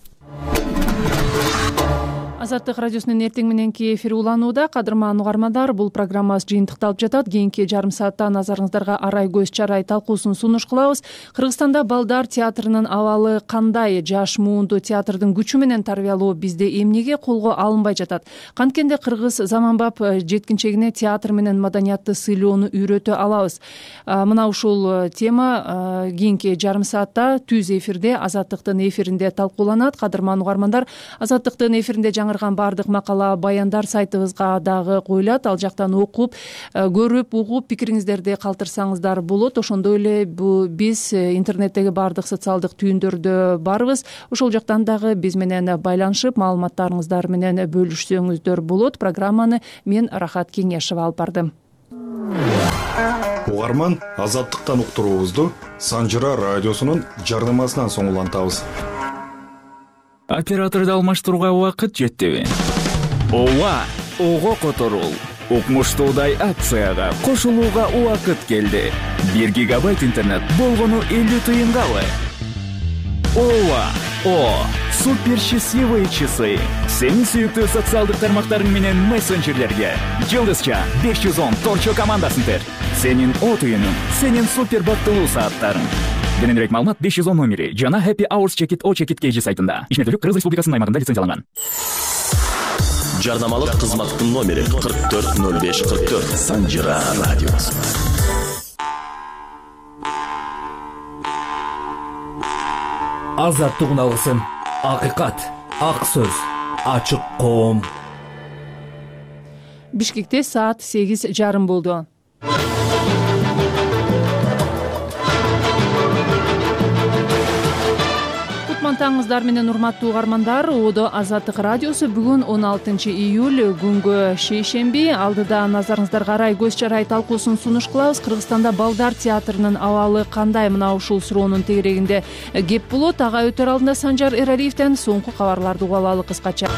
Азаттык радиосунун эртең мененки эфири уланууда. Кадырман угармандар, бул программабыз жыйынтыкталып жатат. Кийинки жарым саатта назарыңыздарга арай көз чарай талкуусун сунуш кылабыз. Кыргызстанда балдар театрынын абалы кандай? Жаш муунду театрдын күчү менен тарбиялоо бизде эмнеге колго алынбай жатат? Канткенде кыргыз заманбап жеткинчегине театр менен маданиятты сыйлоону үйрөтө алабыз? Мына ушул тема кийинки жарым саатта түз эфирде, Азаттыктын эфиринде талкууланат. Кадырман угармандар, Азаттыктын эфиринде жаңы бардык макала, баяндар сайтыбызга дагы коюлат. Ал жактан окуп, көрүп, угуп, пикириңиздерди калтырсаңыздар болот. Ошондой эле биз интернеттеги бардык социалдык түйүндөрдө барбыз. Ошол жактан дагы биз менен байланышып, маалыматтарыңыздар менен бөлүшсөңүздөр болот. Программаны мен Рахат Кеңешева алып бардым. Угарман, Азаттыктан уктуруубузду Санжыра радиосунун жардамасынан соң улантабыз. Операторду алмаштырууга убакыт жеттиби? Ооба, ого которул. Укмуштуудай акцияга кошулууга убакыт келди. бир гигабайт интернет болгону элүү тыйынгабы? Ооба, О, супер счастливые часы. Сенин сүйүктүү социалдык тармактарың менен мессенджерлерге Жылдызча беш жүз он торчо командасын тер. Сенин о түйүнүң, сенин супер баттылуу сааттарың. Кененирээк маалымат беш жүз он номери жана Happy Hours Check It O Check It кей джи сайтында. Ишмердүүлүк Кыргыз Республикасынын аймагында лицензияланган. Жарнамалык кызматтын номери кырк төрт ноль беш кырк төрт. Санжира радиосу. Азаттык алгысын, акыйкат, ак сөз, ачык коом. Бишкекте саат сегиз жарым болду. Таңыңыздар менен урматтуу угармандар, Одо Азаттык радиосу бүгүн он алтынчы июль күнгө шейшемби. Алдыда назарыңыздарга арай көз чарай талкуусун сунуш кылабыз. Кыргызстанда балдар театрынын абалы кандай, мына ушул суроонун тегерегинде кеп болот. Ага өтөр алдында Санжар Эралиевден соңку кабарларды угуп алалы кыскача.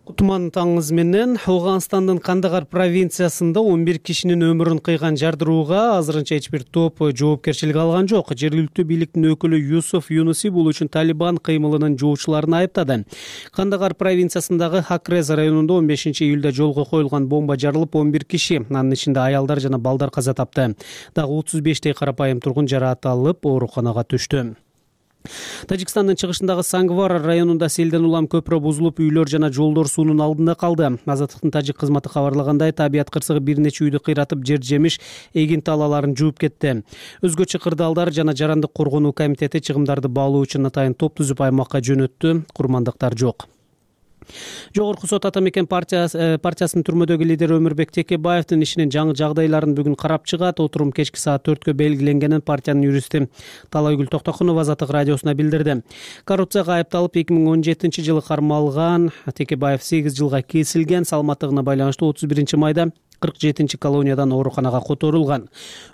Кутман таңыңыз менен. Ауганстандын Кандагар провинциясында он бир кишинин өмүрүн кыйган жардырууга азырынча эч бир топ жоопкерчилик алган жок. Жергиликтүү бийликтин өкүлү Юсуф Юнуси бул үчүн Талибан кыймылынын жоочуларын айыптады. Кандагар провинциясындагы Хакрез районунда он бешинчи июлда жолго коюлган бомба жарылып он бир киши, анын ичинде аялдар жана балдар каза тапты. Дагы отуз бештей карапайым тургун жараат алып ооруканага түштү. Тажикстандын чыгышындагы Сангвар районунда селден улам көпүрө бузулуп, үйлөр жана жолдор суунун алдында калды. Азаттыктын тажик кызматы кабарлагандай, табият кырсыгы бир нече үйдү кыйратып, жер жемиш, эгин талааларын жууп кетти. Өзгөчө кырдаалдар жана жарандык коргонуу комитети чыгымдарды баалоо үчүн атайын топ түзүп аймакка жөнөттү. Курмандыктар жок. Жогорку сот Ата Мекен партиясынын түрмөдөгү лидери Өмүрбек Текебаевдин ишинин жаңы жагдайларын бүгүн карап чыгат. Отурум кечки саат төрткө белгиленгенин партиянын юристи Талайгүл Токтокунова Азаттык радиосуна билдирди. Коррупцияга айыпталып эки миң он жетинчи жылы кармалган Текебаев сегиз жылга кесилген. Саламаттыгына байланыштуу отуз биринчи майда кырк жетинчи колониядан ооруканага которулган.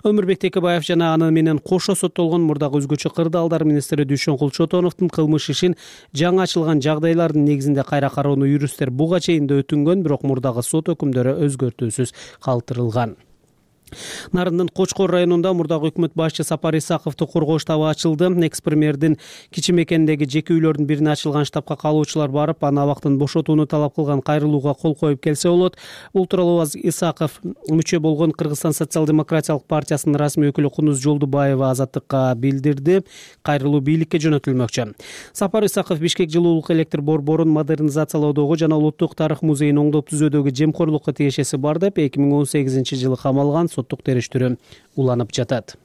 Өмүрбек Текебаев жана аны менен кошо соттолгон мурдагы өзгөчө кырдаалдар министри Дүйшөнкул Чотоновдун кылмыш ишин жаңы ачылган жагдайлардын негизинде кайра кароону юристтер буга чейин да өтүнгөн, бирок мурдагы сот өкүмдөрү өзгөртүүсүз калтырылган. Нарындын Кочкор районунда мурдагы өкмөт башчы Сапар Исаковду коргоо штабы ачылды. Экс-премьердин Кичи Мекендеги жеке үйлөрдүн бирине ачылган штабка калуучулар барып, аны абактан бошотууну талап кылган кайрылууга кол коюп келсе болот. Бул тууралуу Исаков мүчө болгон Кыргызстан социал-демократиялык партиясынын расмий өкүлү Кунуз Жолдубаева Азаттыкка билдирди. Кайрылуу бийликке жөнөтүлмөкчү. Сапар Исаков Бишкек жылуулук электр борборун модернизациялоодогу жана Улуттук тарых музейин оңдоп түзүүдөгү жемкорлукка тиешеси бар деп эки миң он сегизинчи жылы камалган. Соттук териштирүү уланып жатат.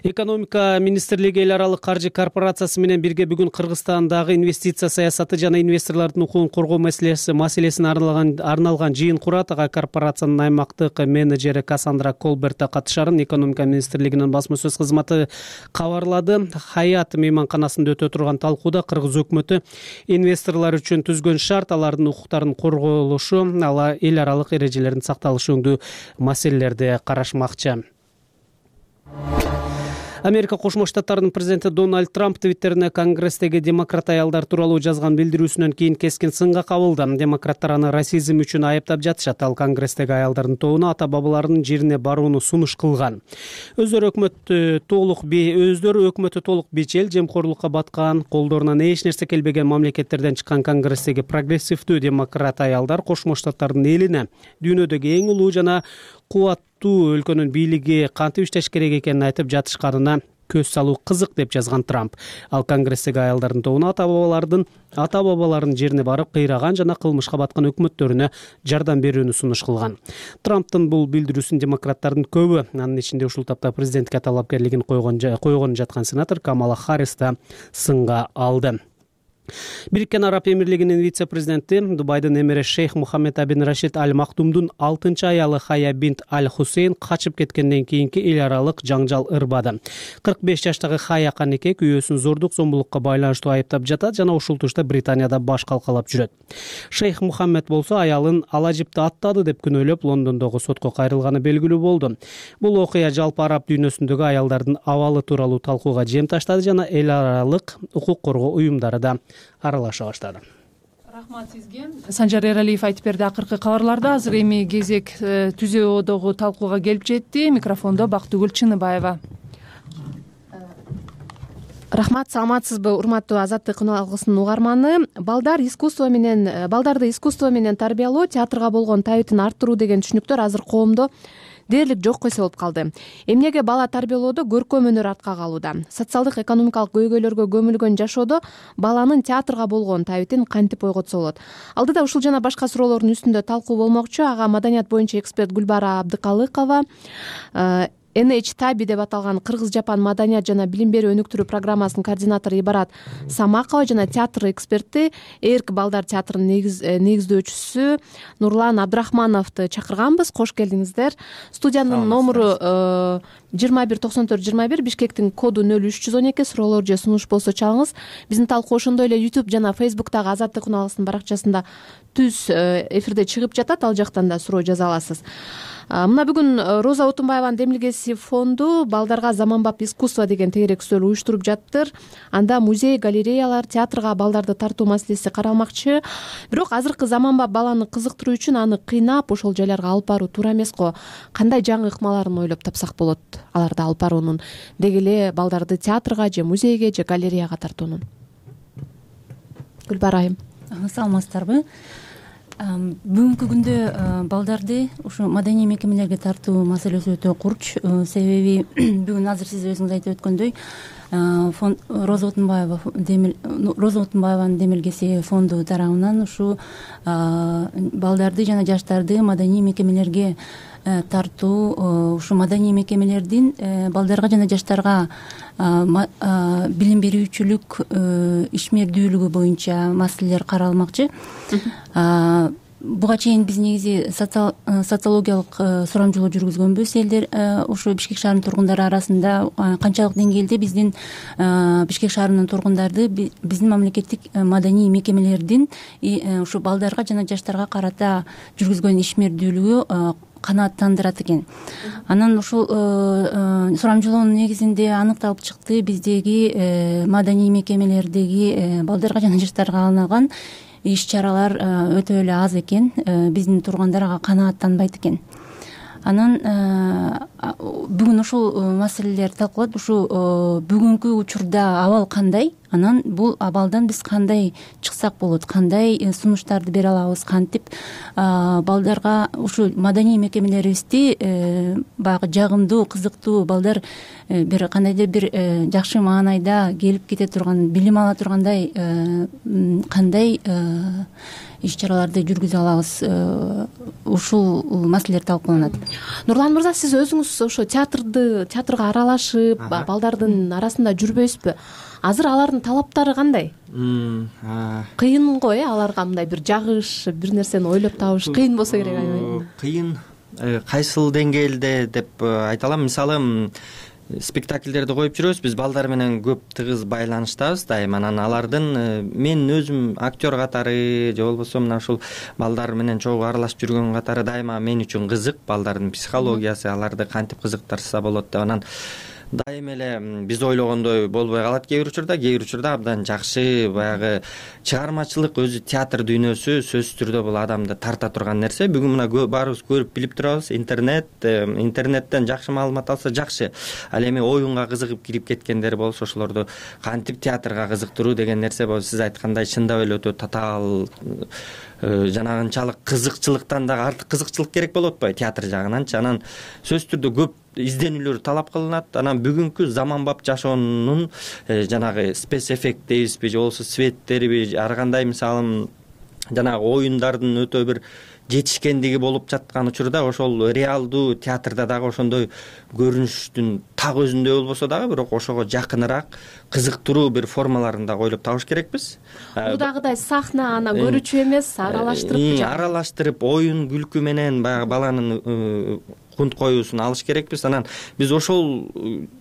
Экономика министрлиги эл аралык каржы корпорациясы менен бирге бүгүн Кыргызстандагы инвестиция саясаты жана инвесторлордун укугун коргоо маселеси маселесине арналган арналган жыйын курат. Ага корпорациянын аймактык менеджери Кассандра Колберта катышарын экономика министрлигинин басма сөз кызматы кабарлады. Хаят мейманканасында өтө турган талкууда Кыргыз өкмөтү инвесторлор үчүн түзгөн шарт, алардын укуктарынын корголушу, ала эл аралык эрежелердин сакталышы өңдүү маселелерди карашмакчы. Америка Кошмо Штаттарынын президенти Дональд Трамп Твиттерине Конгресстеги демократ аялдар тууралуу жазган билдирүүсүнөн кийин кескин сынга кабылды. Демократтар аны расизм үчүн айыптап жатышат. Ал Конгресстеги аялдардын тобуна ата бабаларынын жерине барууну сунуш кылган. Өздөрү өкмөттү толук өздөрү өкмөтү толук бечел, жемкорлукка баткан, колдорунан эч нерсе келбеген мамлекеттерден чыккан Конгресстеги прогрессивдүү демократ аялдар Кошмо Штаттардын элине дүйнөдөгү эң улуу жана кубаттуу өлкөнүн бийлиги кантип иштеш керек экенин айтып жатышканына көз салуу кызык деп жазган Трамп. Ал Конгресстеги аялдардын тобуна ата бабалардын ата бабаларынын жерине барып кыйраган жана кылмышка баткан өкмөттөрүнө жардам берүүнү сунуш кылган. Трамптын бул билдирүүсүн демократтардын көбү, анын ичинде ушул тапта президентке талапкерлигин койгон койгон жаткан сенатор Камала Харрис да сынга алды. Бириккен Араб Эмирлигинин вице-президенти Дубайдын эмири Шейх Мухаммед Абин Рашид Аль Мактумдун алтынчы аялы Хая бинт Аль Хусейн качып кеткенден кийинки эл аралык жаңжал ырбады. кырк беш жаштагы Хая канеке күйөөсүн зордук зомбулукка байланыштуу айыптап жатат жана ушул тушта Британияда баш калкалап жүрөт. Шейх Мухаммед болсо аялын ала жипти аттады деп күнөөлөп Лондондогу сотко кайрылганы белгилүү болду. Бул окуя жалпы араб дүйнөсүндөгү аялдардын абалы тууралуу талкууга жем таштады жана эл аралык укук коргоо уюмдары да аралаша баштады. Рахмат сизге. Санжар Эралиев айтып берди акыркы кабарларда. Азыр эми кезек түзөөдөгү талкууга келип жетти. Микрофондо Бактыгүл Чыныбаева. Рахмат, саламатсызбы урматтуу Азаттык күн алгысынын угарманы. Балдар искусство менен балдарды искусство менен тарбиялоо, театрга болгон табитин арттыруу деген түшүнүктөр азыр коомдо дээрлик жок койсо болуп калды. Эмнеге бала тарбиялоодо көркөм өнөр артка калууда? Социалдык экономикалык көйгөйлөргө көмүлгөн жашоодо баланын театрга болгон табитин кантип ойготсо болот? Алдыда ушул жана башка суроолордун үстүндө талкуу болмокчу. Ага маданият боюнча эксперт Гүлбара Абдыкалыкова, эн эйч таби деп аталган Кыргыз-Жапан маданият жана билим берүү өнүктүрүү программасынын координатору Ибарат Самакова жана театр эксперти Эрк балдар театрынын негиздөөчүсү Нурлан Абдрахмановду чакырганбыз. Кош келдиңиздер. Студиянын номуру жыйырма бир токсон төрт жыйырма бир, Бишкектин коду нөл үч жүз он эки. Суроолор же сунуш болсо чалыңыз. Биздин талкуу ошондой эле YouTube жана Facebook'тагы Азаттык күн алгысынын баракчасында түз эфирде чыгып жатат. Ал жактан да суроо жаза аласыз. Мына бүгүн Роза Отунбаеванын демилгеси фонду балдарга заманбап искусство деген тегеректөө уюштуруп жаттыр. Анда музей, галереялар, театрга балдарды тартуу маселеси каралмакчы. Бирок азыркы заманбап баланы кызыктыруу үчүн аны кыйнап ошол жайларга алып баруу туура эмес го. Кандай жаңы ыкмаларын ойлоп тапсак болот аларды алып баруунун, деги эле балдарды театрга же музейге же галереяга тартуунун? Гүлбара айым. Саламатсыздарбы? Бүгүнкү күндө балдарды ушу маданий мекемелерге тартуу маселеси өтө курч. Себеби бүгүн азыр сиз өзүңүз айтып өткөндөй фонд Роза Отунбаева Роза Отунбаеванын демилгеси фонду тарабынан ушу балдарды жана жаштарды маданий мекемелерге тартуу, ушу маданий мекемелердин балдарга жана жаштарга билим берүүчүлүк ишмердүүлүгү боюнча маселелер каралмакчы. Буга чейин биз негизи социологиялык сурамжылоо жүргүзгөнбүз. Элдер ушу Бишкек шаарынын тургундары арасында канчалык деңгээлде биздин Бишкек шаарынын тургундарды биздин мамлекеттик маданий мекемелердин ушу балдарга жана жаштарга карата жүргүзгөн ишмердүүлүгү канааттандырат экен. Анан ушул сурамжылоонун негизинде аныкталып чыкты, биздеги маданий мекемелердеги балдарга жана жаштарга арналган иш-чаралар өтө эле аз экен, биздин тургундар ага канааттанбайт экен. Анан бүгүн ушул маселелер талкууланат. Ушу бүгүнкү учурда абал кандай? Анан бул абалдан биз кандай чыксак болот, кандай сунуштарды бере алабыз, кантип балдарга ушу маданий мекемелерибизди баягы жагымдуу, кызыктуу, балдар бир кандайдыр бир жакшы маанайда келип кете турган, билим ала тургандай кандай иш-чараларды жүргүзө алабыз, ушул маселелер талкууланат. Нурлан мырза, сиз өзүңүз ошо театрды театрга аралашып, балдардын арасында жүрбөйсүзбү? Азыр алардын талаптары кандай? Кыйын го, э, аларга мындай бир жагыш, бир нерсени ойлоп табыш кыйын болсо керек, аябай. Кыйын кайсыл деңгээлде деп айта алам. Мисалы, спектакльдерди коюп жүрөбүз, биз балдар менен көп тыгыз байланыштабыз дайыма. Анан алардын мен өзүм актер катары же болбосо мына ушул балдар менен чогуу аралашып жүргөн катары дайыма мен үчүн кызык балдардын психологиясы, аларды кантип кызыктырса болот деп. Анан дайыма эле биз ойлогондой болбой калат кээ бир учурда, кээ бир учурда абдан жакшы баягы чыгармачылык, өзү театр дүйнөсү сөзсүз түрдө бул адамды тарта турган нерсе. Бүгүн мына баарыбыз көрүп билип турабыз, интернет, интернеттен жакшы маалымат алса жакшы. Ал эми оюнга кызыгып кирип кеткендер болсо ошолорду кантип театрга кызыктыруу деген нерсе болсо, сиз айткандай чындап эле өтө татаал жанагынчалык кызыкчылыктан дагы артык кызыкчылык керек болуп атпайбы театр жагынанчы. Анан сөзсүз түрдө көп изденүүлөр талап кылынат. Анан бүгүнкү заманбап жашоонун жанагы спец эффект дейбизби же болбосо светтериби, ар кандай мисалы жанагы оюндардын өтө бир жетишкендиги болуп жаткан учурда ошол реалдуу театрда дагы ошондой көрүнүштүн так өзүндөй болбосо дагы бирок ошого жакыныраак кызыктыруу бир формаларын дагы ойлоп табыш керекпиз. Мудагыдай сахна анан көрүүчү эмес, аралаштырып аралаштырып оюн күлкү менен баягы баланын кунт коюусун алыш керекпиз. Анан биз ошол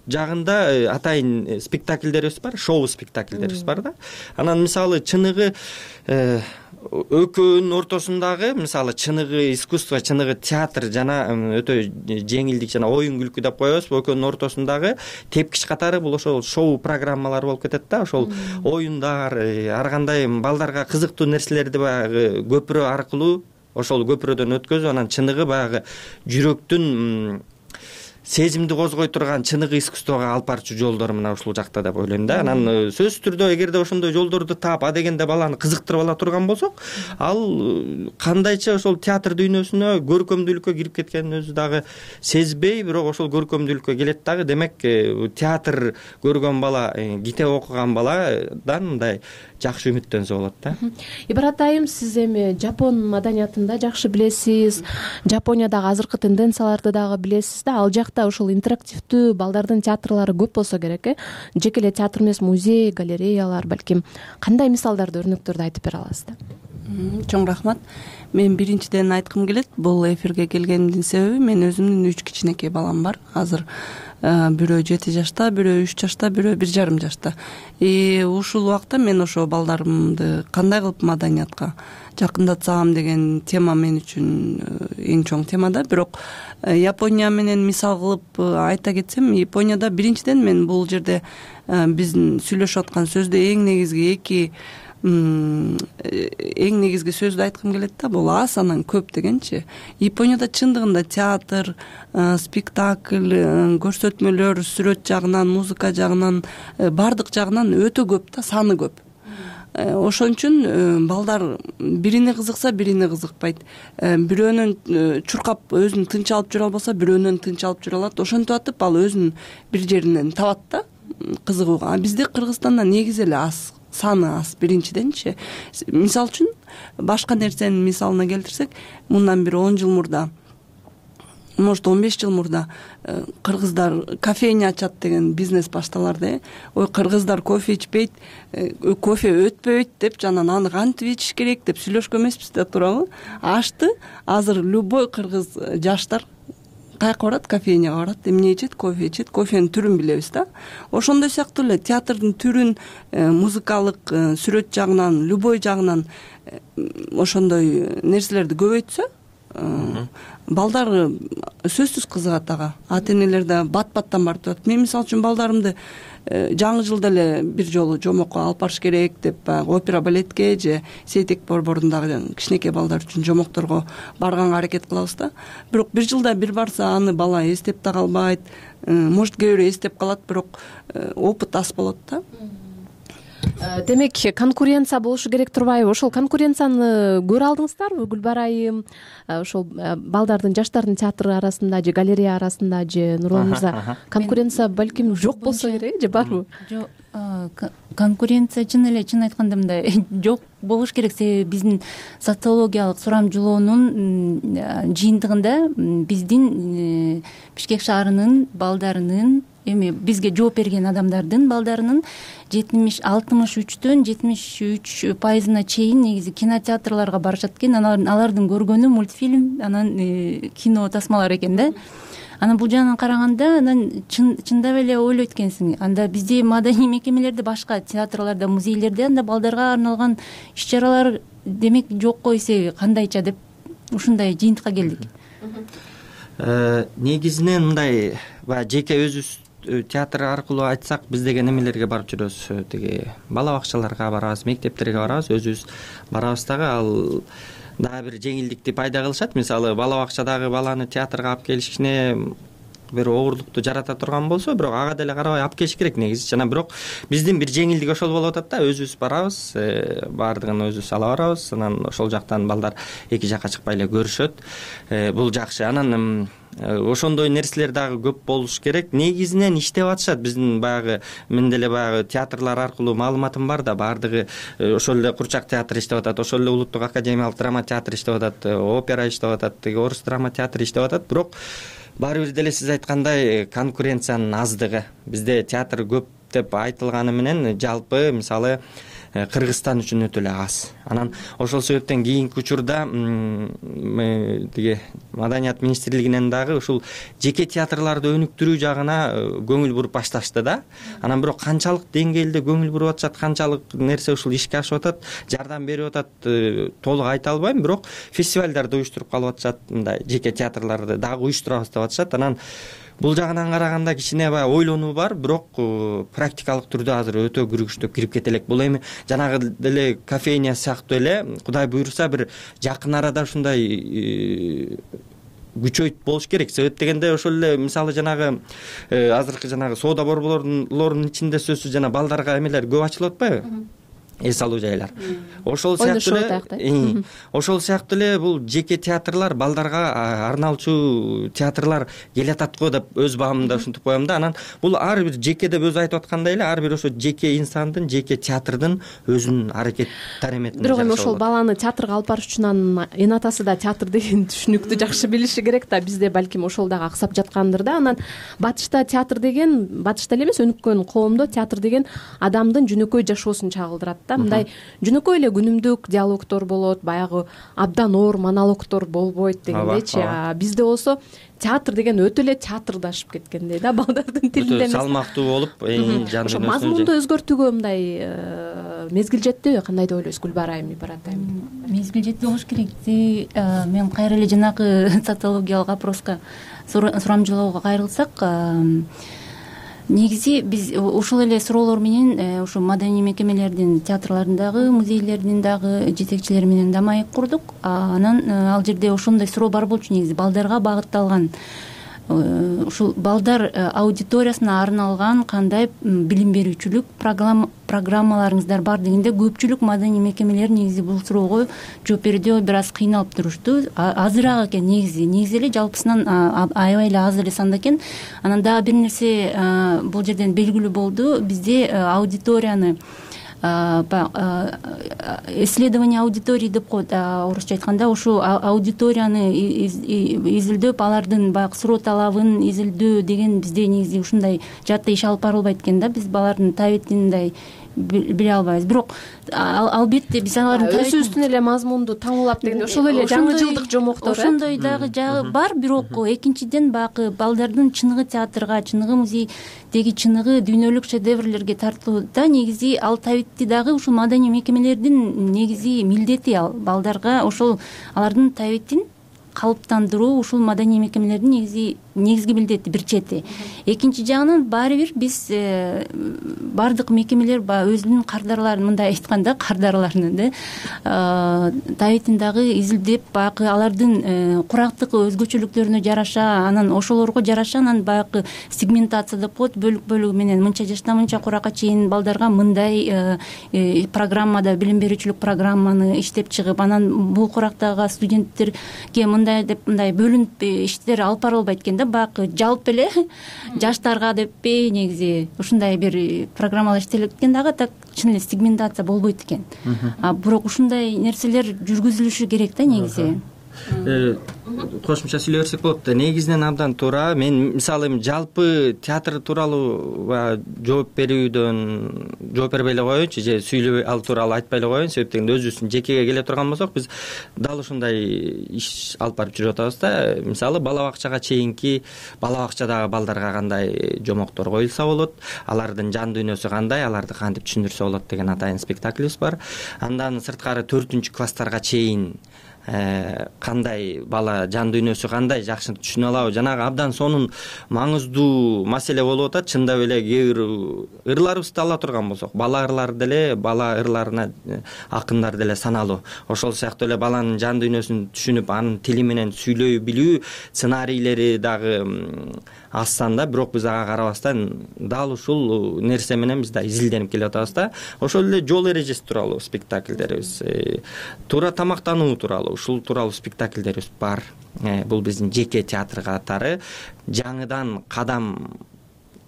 жагында атайын спектакльдерибиз бар, шоу спектакльдерибиз бар да. Анан мисалы чыныгы экөөнүн ортосундагы мисалы чыныгы искусство, чыныгы театр жана өтө жеңилдик жана оюн күлкү деп коебузбу, экөөнүн ортосундагы тепкич катары бул ошол шоу программалар болуп кетет да. Ошол оюндар, ар кандай балдарга кызыктуу нерселерди баягы көпүрө аркылуу ошол көпүрөдөн өткөзүп, анан чыныгы баягы жүрөктүн сезимди козгой турган чыныгы искусствого алып барчу жолдор мына ушул жакта деп ойлойм да. Анан сөзсүз түрдө эгерде ошондой жолдорду таап, а дегенде баланы кызыктырып ала турган болсок, ал кандайча ошол театр дүйнөсүнө, көркөмдүүлүккө кирип кеткенин өзү дагы сезбей, бирок ошол көркөмдүүлүккө келет дагы. Демек, театр көргөн бала, китеп окуган баладан мындай жакшы үмүттөнсө болот да. Ибрат айым, сиз эми жапон маданиятында жакшы билесиз, Жапониядагы азыркы тенденцияларды дагы билесиз да. Ал жакта ушул интерактивдүү балдардын театрлары көп болсо керек, э? Жеке эле театр эмес, музей, галереялар, балким кандай мисалдарды, өрнөктөрдү айтып бере аласыздар? Чоң рахмат. Мен биринчиден айткым келет, бул эфирге келгенимдин себеби мен өзүмдүн үч кичинекей балам бар. Азыр бирөө жети жашта, бирөө үч жашта, бирөө бир жарым жашта. И ушул убакта мен ошо балдарымды кандай кылып маданиятка жакындатсам деген тема мен үчүн эң чоң тема да. Бирок Япония менен мисал кылып айта кетсем, Японияда биринчиден мен бул жерде биздин сүйлөшүп аткан сөздө эң негизги эки эң негизги сөздү айткым келет да, бул аз анан көп дегенчи. Японияда чындыгында театр, спектакль, көрсөтмөлөр, сүрөт жагынан, музыка жагынан, бардык жагынан өтө көп да, саны көп. Ошон үчүн балдар бирине кызыкса, бирине кызыкпайт. Бирөөнөн чуркап өзүн тынч алып жүрө албаса, бирөөнөн тынч алып жүрө алат. Ошентип атып ал өзүн бир жеринен табат да, кызыгууга. А бизде Кыргызстанда негизи эле аз, саны аз биринчиденчи. Мисал үчүн башка нерсенин мисалына келтирсек, мындан бир он жыл мурда, может он беш жыл мурда кыргыздар кофейня ачат деген бизнес башталарды. Ой, кыргыздар кофе ичпейт, кофе өтпөйт деп, жанан аны кантип ичиш керек деп сүйлөшкөн эмеспиз да, туурабы? Ашты азыр любой кыргыз жаштар каяка барат? Кофейняга барат. Эмне ичет? Кофе ичет. Кофенин түрүн билебиз да. Ошондой сыяктуу эле театрдын түрүн, музыкалык, сүрөт жагынан, любой жагынан ошондой нерселерди көбөйтсө, балдар сөзсүз кызыгат ага. Ата энелер да бат-баттан барып турат. Мен мисалы үчүн балдарымды жаңы жылда эле бир жолу жомокко алып барыш керек деп, опера балетке же Сейтек борборундагы кичинекей балдар үчүн жомокторго барганга аракет кылабыз да. Бирок бир жылда бир барса, аны бала эстеп да калбайт. Может, кээ бирөө эстеп калат, бирок опыт аз болот да. Демек, конкуренция болушу керек турбайбы? Ошол конкуренцияны көрө алдыңыздарбы, Гүлбара айым? Ошол балдардын, жаштардын театры арасында же галерея арасында же Нурлан мырза, конкуренция балким жок болсо керек же барбы? Жок, конкуренция чын эле, чын айтканда мындай жок болуш керек. Себеби биздин социологиялык сурамжылоонун жыйынтыгында биздин Бишкек шаарынын балдарынын, эми бизге жооп берген адамдардын балдарынын жетимиш алтымыш үчтөн жетимиш үч пайызына чейин негизи кинотеатрларга барышат экен. Алардын көргөнү мультфильм, анан кино тасмалар экен да. Анан бул жагынан караганда, анан чындап эле ойлойт экенсиң. Анда бизде маданий мекемелерде, башка театрларда, музейлерде анда балдарга арналган иш-чаралар демек жок го, эсеби кандайча деп ушундай жыйынтыкка келдик. Негизинен мындай жеке өзүбүз театр аркылуу айтсак, биз деген эмелерге барып жүрөбүз, тиги бала бакчаларга барабыз, мектептерге барабыз, өзүбүз барабыз дагы. Ал дагы бир жеңилдикти пайда кылышат. Мисалы, бала бакчадагы баланы театрга алып келишине бир оорурлукту жарата турган болсо, бирок ага деле карабай алып келиш керек негизи. Жана бирок биздин бир жеңилдик ошол болуп атат да, өзүбүз барабыз, баардыгын өзүбүз ала барабыз, анан ошол жактан балдар эки жакка чыкпай эле көрүшөт. Бул жакшы. Анан ошондой нерселер дагы көп болуш керек. Негизинен иштеп атышат биздин баягы, мен деле баягы театрлар аркылуу маалыматым бар да, баардыгы ошол эле Курчак театры иштеп атат, ошол эле Улуттук академиялык драма театры иштеп атат, опера иштеп атат, тиги орус драма театры иштеп атат. Бирок баары бир деле сиз айткандай конкуренциянын аздыгы. Бизде театр көп деп айтылганы менен жалпы, мисалы, Кыргызстан үчүн өтө эле аз. Анан ошол себептен кийинки учурда тиги Маданият министрлигинен дагы ушул жеке театрларды өнүктүрүү жагына көңүл буруп башташты да. Анан бирок канчалык деңгээлде көңүл буруп атышат, канчалык нерсе ушул ишке ашып атат, жардам берип атат, толук айта албайм, бирок фестивалдарды уюштуруп калып атышат, мындай жеке театрларды дагы уюштурабыз деп атышат. Анан бул жагынан караганда кичине баягы ойлонуу бар, бирок практикалык түрдө азыр өтө күрүгүчтөп кирип кете элек. Бул эми жанагы деле кофейня сыяктуу эле, Кудай буйруса бир жакын арада ушундай күчөйт болуш керек. Себеп дегенде ошол эле мисалы жанагы азыркы жанагы соода борборлорунун ичинде сөзсүз жана балдарга эмелер көп ачылып атпайбы? Эс алуу жайлар. Ошол сыяктуу эле, ошол сыяктуу эле бул жеке театрлар, балдарга арналчу театрлар келатат го деп өз баамымда ушинтип коем да. Анан бул ар бир жеке деп өзү айтып аткандай эле, ар бир ошо жеке инсандын, жеке театрдын өзүнүн аракет тараметин. Бирок эми ошол баланы театрга алып барыш үчүн анын эне атасы да театр деген түшүнүктү жакшы билиши керек да. Бизде балким ошол дагы аксап жаткандыр да. Анан батышта театр деген, батышта эле эмес, өнүккөн коомдо театр деген адамдын жөнөкөй жашоосун чагылдырат. Мындай жөнөкөй эле күнүмдүк диалогтор болот, баягы абдан оор монологтор болбойт дегендейчи. Бизде болсо театр деген өтө эле театрдашып кеткендей да, балдардын тилинде эмес. Салмактуу болуп, жан ошо мазмунду өзгөртүүгө мындай мезгил жеттиби? Кандай деп ойлойсуз Гүлбара айым, Ибарат айым? Мезгил жетти болуш керек. Мен кайра эле жанагы социологиялык опроска сурамжылоого кайрылсак, негизи биз ушул эле суроолор менен ушу маданий мекемелердин, театрлардын музейлердин дагы жетекчилери менен да маек курдук. Анан ал жерде ошондой суроо бар болчу, негизи балдарга багытталган, ушул балдар аудиториясына арналган кандай билим берүүчүлүк программаларыңыздар бар дегенде көпчүлүк маданий мекемелер негизи бул суроого жооп берүүдө бир аз кыйналып турушту. Азыраак экен негизи, негизи эле жалпысынан аябай эле аз эле санда экен. Анан дагы бир нерсе бул жерден белгилүү болду. Бизде аудиторияны исследование аудитории деп коет орусча айтканда, ушул аудиторияны изилдөөп, алардын баягы суроо талабын изилдөө деген бизде негизи ушундай жаатта иш алып барылбайт экен да. Биз балардын табитин мындай биле албайбыз. Бирок албетте биз алардын өзүбүздүн эле мазмунду таңуулап дегенде ошол эле жаңы жылдык жомоктор, ошондой дагы жагы бар. Бирок экинчиден баягы балдардын чыныгы театрга, чыныгы музейдеги чыныгы дүйнөлүк шедеврлерге тартууда негизи ал табитти дагы ушул маданий мекемелердин негизи милдети. Ал балдарга ошол алардын табитин калыптандыруу ушул маданий мекемелердин негизи негизги милдети бир чети. Экинчи жагынан баары бир биз бардык мекемелер баягы өзүнүн кардарларын, мындай айтканда кардарларын да табитин дагы изилдеп, баягы алардын курактык өзгөчөлүктөрүнө жараша, анан ошолорго жараша анан баягы сегментация деп коет, бөлүк бөлүгү менен мынча жаштан мынча куракка чейин балдарга мындай программада билим берүүчүлүк программаны иштеп чыгып, анан бул курактагы студенттерге мындай деп мындай бөлүнүп иштер алып барылбайт экен да. Баягы жалпы эле жаштарга деппи негизи ушундай бир программалар иштелет экен дагы, так чын эле сегментация болбойт экен. А бирок ушундай нерселер жүргүзүлүшү керек да негизи. Кошумча сүйлөй берсек болот да. Негизинен абдан туура. Мен мисалы эми жалпы театр тууралуу жооп берүүдөн жооп бербей эле коеюнчу, же сүйлөбөй ал тууралуу айтпай эле коеюн. Себеп дегенде өзүбүздүн жекеге келе турган болсок, биз дал ушундай иш алып барып жүрүп атабыз да. Мисалы бала бакчага чейинки, бала бакчадагы балдарга кандай жомоктор коюлса болот, алардын жан дүйнөсү кандай, аларды кантип түшүндүрсө болот деген атайын спектаклибиз бар. Андан сырткары төртүнчү класстарга чейин кандай бала жан дүйнөсү кандай жакшы түшүнө алабы, жанагы абдан сонун маңыздуу маселе болуп атат. Чындап эле кээ бир ырларыбызды ала турган болсок, бала ырлары деле, бала ырларына акындар деле саналуу. Ошол сыяктуу эле баланын жан дүйнөсүн түшүнүп, анын тили менен сүйлөй билүү сценарийлери дагы аз санда, бирок биз ага карабастан дал ушул нерсе менен биз да изилденип келип атабыз да. Ошол эле жол эрежеси тууралуу спектакльдерибиз, туура тамактануу тууралуу, ушул тууралуу спектакльдерибиз бар. Бул биздин жеке театр катары, жаңыдан кадам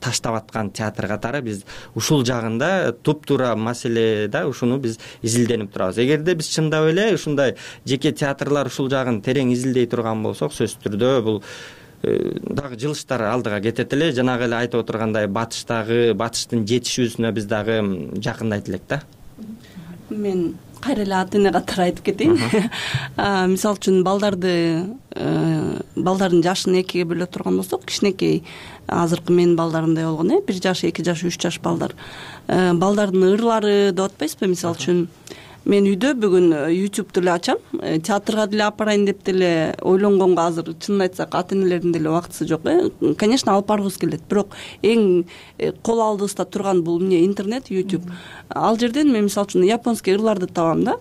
таштап аткан театр катары биз ушул жагында туп-туура маселе да, ушуну биз изилденип турабыз. Эгерде биз чындап эле ушундай жеке театрлар ушул жагын терең изилдей турган болсок, сөзсүз түрдө бул дагы жылыштар алдыга кетет эле. Жанагы эле айтып отургандай батыштагы, батыштын жетишүүсүнө биз дагы жакындайт элек да. мен кайра эле ата эне катары айтып кетейин. Мисалы үчүн балдарды балдардын жашын экиге бөлө турган болсок, кичинекей азыркы менин балдарымдай болгон э бир жаш, эки жаш, үч жаш балдар. Балдардын ырлары деп атпайсызбы? Мисалы үчүн мен үйдө бүгүн ютубту эле ачам, театрга деле апарайын деп деле ойлонгонго азыр чынын айтсак ата энелердин деле убактысы жок э. Конечно, алып баргыбыз келет, бирок эң кол алдыбызда турган бул эмне интернет, ютуб. Ал жерден мен мисалы үчүн японский ырларды табам да.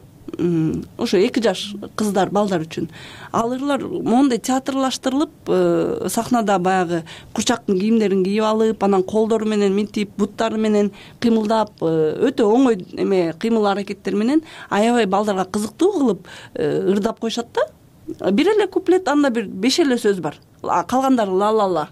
Ошо эки жаш кыздар, балдар үчүн. Ал ырлар моундай театрлаштырылып, сахнада баягы курчактын кийимдерин кийип алып, анан колдору менен минтип, буттары менен кыймылдап, өтө оңой эме кыймыл аракеттер менен аябай балдарга кызыктуу кылып ырдап коюшат да. Бир эле куплет, анда бир беш эле сөз бар. Калгандары ла-ла-ла.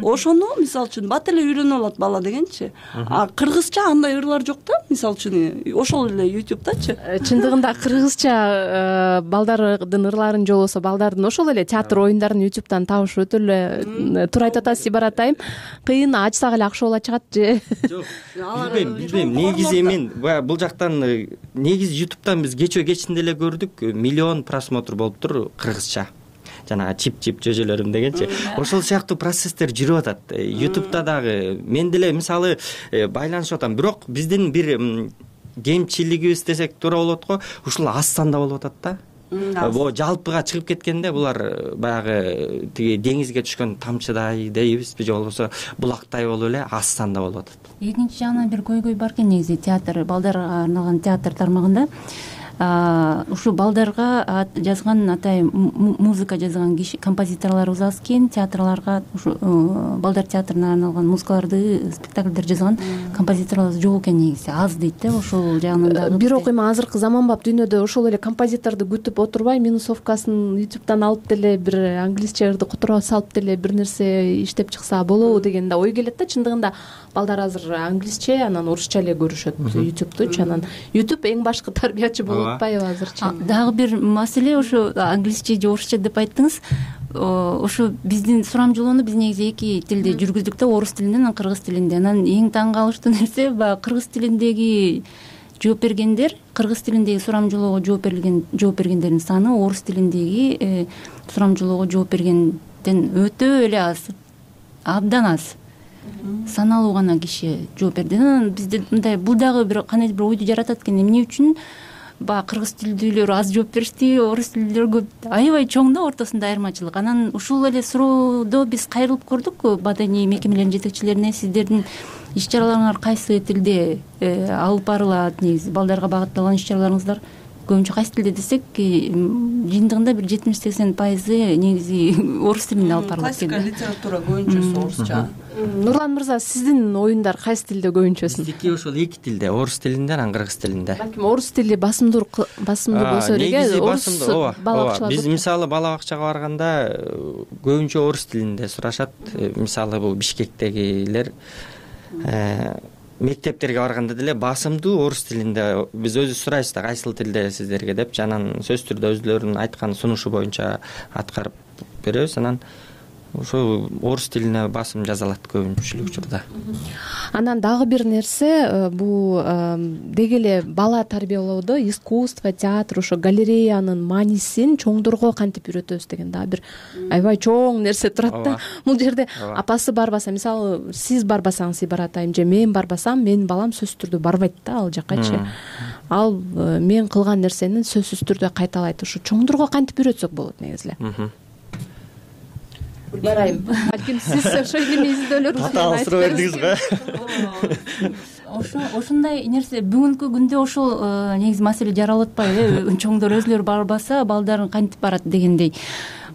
Ошону мисалы үчүн бат эле үйрөнүп алат бала дегенчи. А кыргызча андай ырлар жок да, мисалы үчүн ошол эле ютубтачы. Чындыгында кыргызча балдардын ырларын жолосо, балдардын ошол эле театр оюндарын ютубтан табыш өтө эле туура айтып атасыз Сибар атайым. Кыйын ачсак эле акча боло чыгат же? Жок. Билбейм, билбейм. Негизи мен бул жактан негизи ютубтан биз кечөө кечинде эле көрдүк, миллион просмотр болуптур кыргызча. Жана чип-чип жөжөлөрүм дегенчи. Ошол сыяктуу процесстер жүрүп атат. ютубта дагы мен деле мисалы байланышып атам, бирок биздин бир кемчилигибиз десек туура болот го, ушул аз санда болуп атат да. Бо жалпыга чыгып кеткенде булар баягы тиги деңизге түшкөн тамчыдай дейбизби, же болбосо булактай болуп эле аз санда болуп атат. Экинчи жагынан бир көйгөй бар экен негизи театр, балдарга арналган театр тармагында. Ушу балдарга жазган атай музыка жазган киши, композиторлорубуз аз экен, театрларга ушу балдар театрына арналган музыкаларды, спектакльдер жазган композиторлорубуз жок экен негизи, аз дейт да, ошол жагынан дагы. Бирок эми азыркы заманбап дүйнөдө ошол эле композиторду күтүп отурбай, минусовкасын ютубтан алып деле бир англисче ырды кутура салып деле бир нерсе иштеп чыкса болобу деген да ой келет да. Чындыгында балдар азыр англисче, анан орусча эле көрүшөт ютубтучу, анан ютуб эң башкы тарбиячы болуп атпайбы азырчы? Дагы бир маселе ошо англисче же орусча деп айттыңыз. Ошо биздин сурамжылоону биз негизи эки тилде жүргүздүк да, орус тилинде, анан кыргыз тилинде. Анан эң таң калыштуу нерсе баягы кыргыз тилиндеги жооп бергендер, кыргыз тилиндеги сурамжылоого жооп берген жооп бергендердин саны орус тилиндеги сурамжылоого жооп бергенден өтө эле аз, абдан аз. Саналуу гана киши жооп берди. Анан бизде мындай бул дагы бир кандайдыр бир ойду жаратат экен. Эмне үчүн баягы кыргыз тилдүүлөр аз жооп беришти, орус тилдүүлөр көп? Аябай чоң да ортосунда айырмачылык. Анан ушул эле суроодо биз кайрылып көрдүк маданий мекемелердин жетекчилерине. Сиздердин иш чараларыңар кайсы тилде алып барылат? Негизи балдарга багытталган иш чараларыңыздар көбүнчө кайсы тилде десек, жыйынтыгында бир жетимиш сексен пайызы негизи орус тилинде алып барылат экен. Классика литература көбүнчөсү орусча. Нурлан мырза, сиздин оюндар кайсы тилде көбүнчөсүн? Биздики ошол эки тилде, орус тилинде, анан кыргыз тилинде. Балким орус тили басымдуу басымдуу болсо эле, орус бала бакчалар. Биз мисалы бала бакчага барганда көбүнчө орус тилинде сурашат. Мисалы бул Бишкектегилер мектептерге барганда деле басымдуу орус тилинде биз өзүбүз сурайбыз да, кайсыл тилде сиздерге деп, анан сөзсүз түрдө өзүлөрүнүн айткан сунушу боюнча аткарып беребиз. Анан ошо орус тилине басым жазалат көбүнчүлүк учурда. Анан дагы бир нерсе, бул деги эле бала тарбиялоодо искусство, театр, ошо галереянын маанисин чоңдорго кантип үйрөтөбүз деген дагы бир аябай чоң нерсе турат да. Бул жерде апасы барбаса, мисалы сиз барбасаңыз Сибар атайым, же мен барбасам, менин балам сөзсүз түрдө барбайт да ал жаккачы. Ал мен кылган нерсени сөзсүз түрдө кайталайт. Ошо чоңдорго кантип үйрөтсөк болот негизи эле? Барайм. Балким сиз ошо эми издөөлөрүңүз менен айтып бердиңиз го. Ошо ошондой нерсе бүгүнкү күндө ошол негизи маселе жаралып атпайбы? Чоңдор өзүлөрү барбаса, балдарын кантип барат дегендей.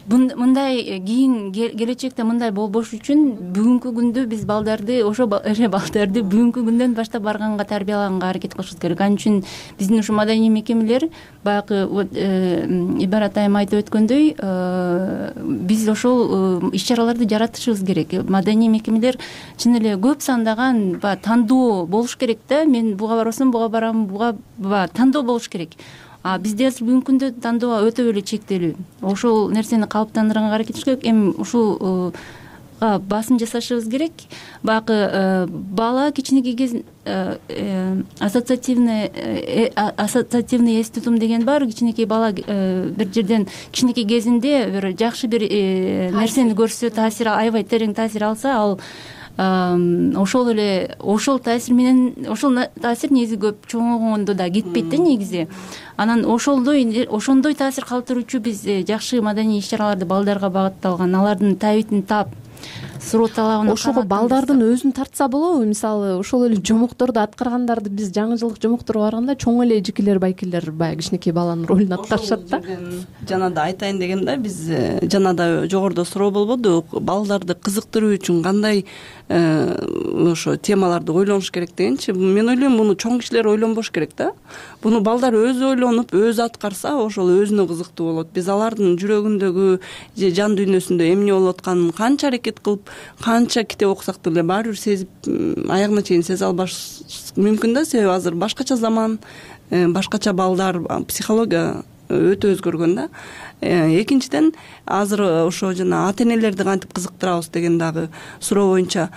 Мындай кийин келечекте мындай болбош үчүн бүгүнкү күндө биз балдарды, ошо эле балдарды бүгүнкү күндөн баштап барганга, тарбиялаганга аракет кылышыбыз керек. Ал үчүн биздин ушу маданий мекемелер баягы Ибар атайым айтып өткөндөй, биз ошол иш чараларды жаратышыбыз керек. Маданий мекемелер чын эле көп сандаган баягы тандоо болуш керек да. Мен буга барбасам, буга барам, буга тандоо болуш керек. А бизде азыр бүгүнкү күндө тандоо өтө эле чектелүү. Ошол нерсени калыптандырганга аракет кылыш керек. Эми ушул басым жасашыбыз керек. Баягы бала кичинекей кез ассоциативный ассоциативный эстетум деген бар. Кичинекей бала бир жерден кичинекей кезинде бир жакшы бир нерсени көрсө, таасир аябай терең таасир алса, ал ошол эле ошол таасир менен ошол таасир негизи көп чоңойгондо да кетпейт да негизи. Анан ошолдой ошондой таасир калтыруучу биз жакшы маданий иш-чараларды балдарга багытталган, алардын табитин таап, суроо талабына ошого балдардын өзүн тартса болобу? Мисалы, ошол эле жомокторду аткаргандарды биз жаңы жылдык жомокторго барганда чоң эле эжекелер, байкелер баягы кичинекей баланын ролун аткарышат да. Жана да айтайын дегем да, биз жана да жогоруда суроо болбоду, балдарды кызыктыруу үчүн кандай ошо темаларды ойлонуш керек дегенчи. Мен ойлойм, муну чоң кишилер ойлонбош керек да. Буну балдар өзү ойлонуп, өзү аткарса, ошол өзүнө кызыктуу болот. Биз алардын жүрөгүндөгү же жан дүйнөсүндө эмне болуп атканын канча аракет кылып, канча китеп окусак деле баары бир сезип, аягына чейин сезе албаш мүмкүн да. Себеби азыр башкача заман, башкача балдар, психология өтө өзгөргөн да. Экинчиден, азыр ошо жана ата энелерди кантип кызыктырабыз деген дагы суроо боюнча,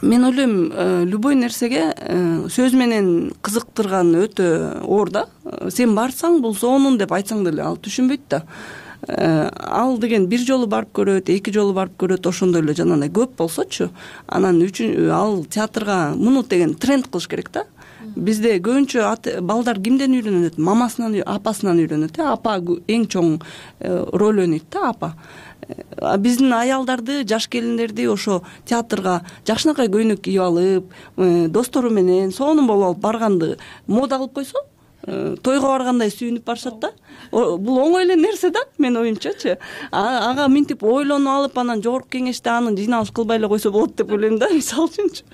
мен ойлойм, любой нерсеге сөз менен кызыктырган өтө оор да. Сен барсаң, бул сонун деп айтсаң деле ал түшүнбөйт да. Ал деген бир жолу барып көрөт, эки жолу барып көрөт, ошондой эле жанагындай көп болсочу, анан үчүн ал театрга муну деген тренд кылыш керек да. Бизде көбүнчө балдар кимден үйрөнөт? Мамасынан, апасынан үйрөнөт. Апа эң чоң роль ойнойт да, апа. Биздин аялдарды, жаш келиндерди ошо театрга жакшынакай көйнөк кийип алып, достору менен сонун болуп алып барганды мода кылып койсо, тойго баргандай сүйүнүп барышат да. Бул оңой эле нерсе да, мен оюмчачы. Ага минтип ойлонуп алып, анан жогорку кеңеште аны жыйналыш кылбай эле койсо болот деп ойлойм да, мисалы үчүнчү.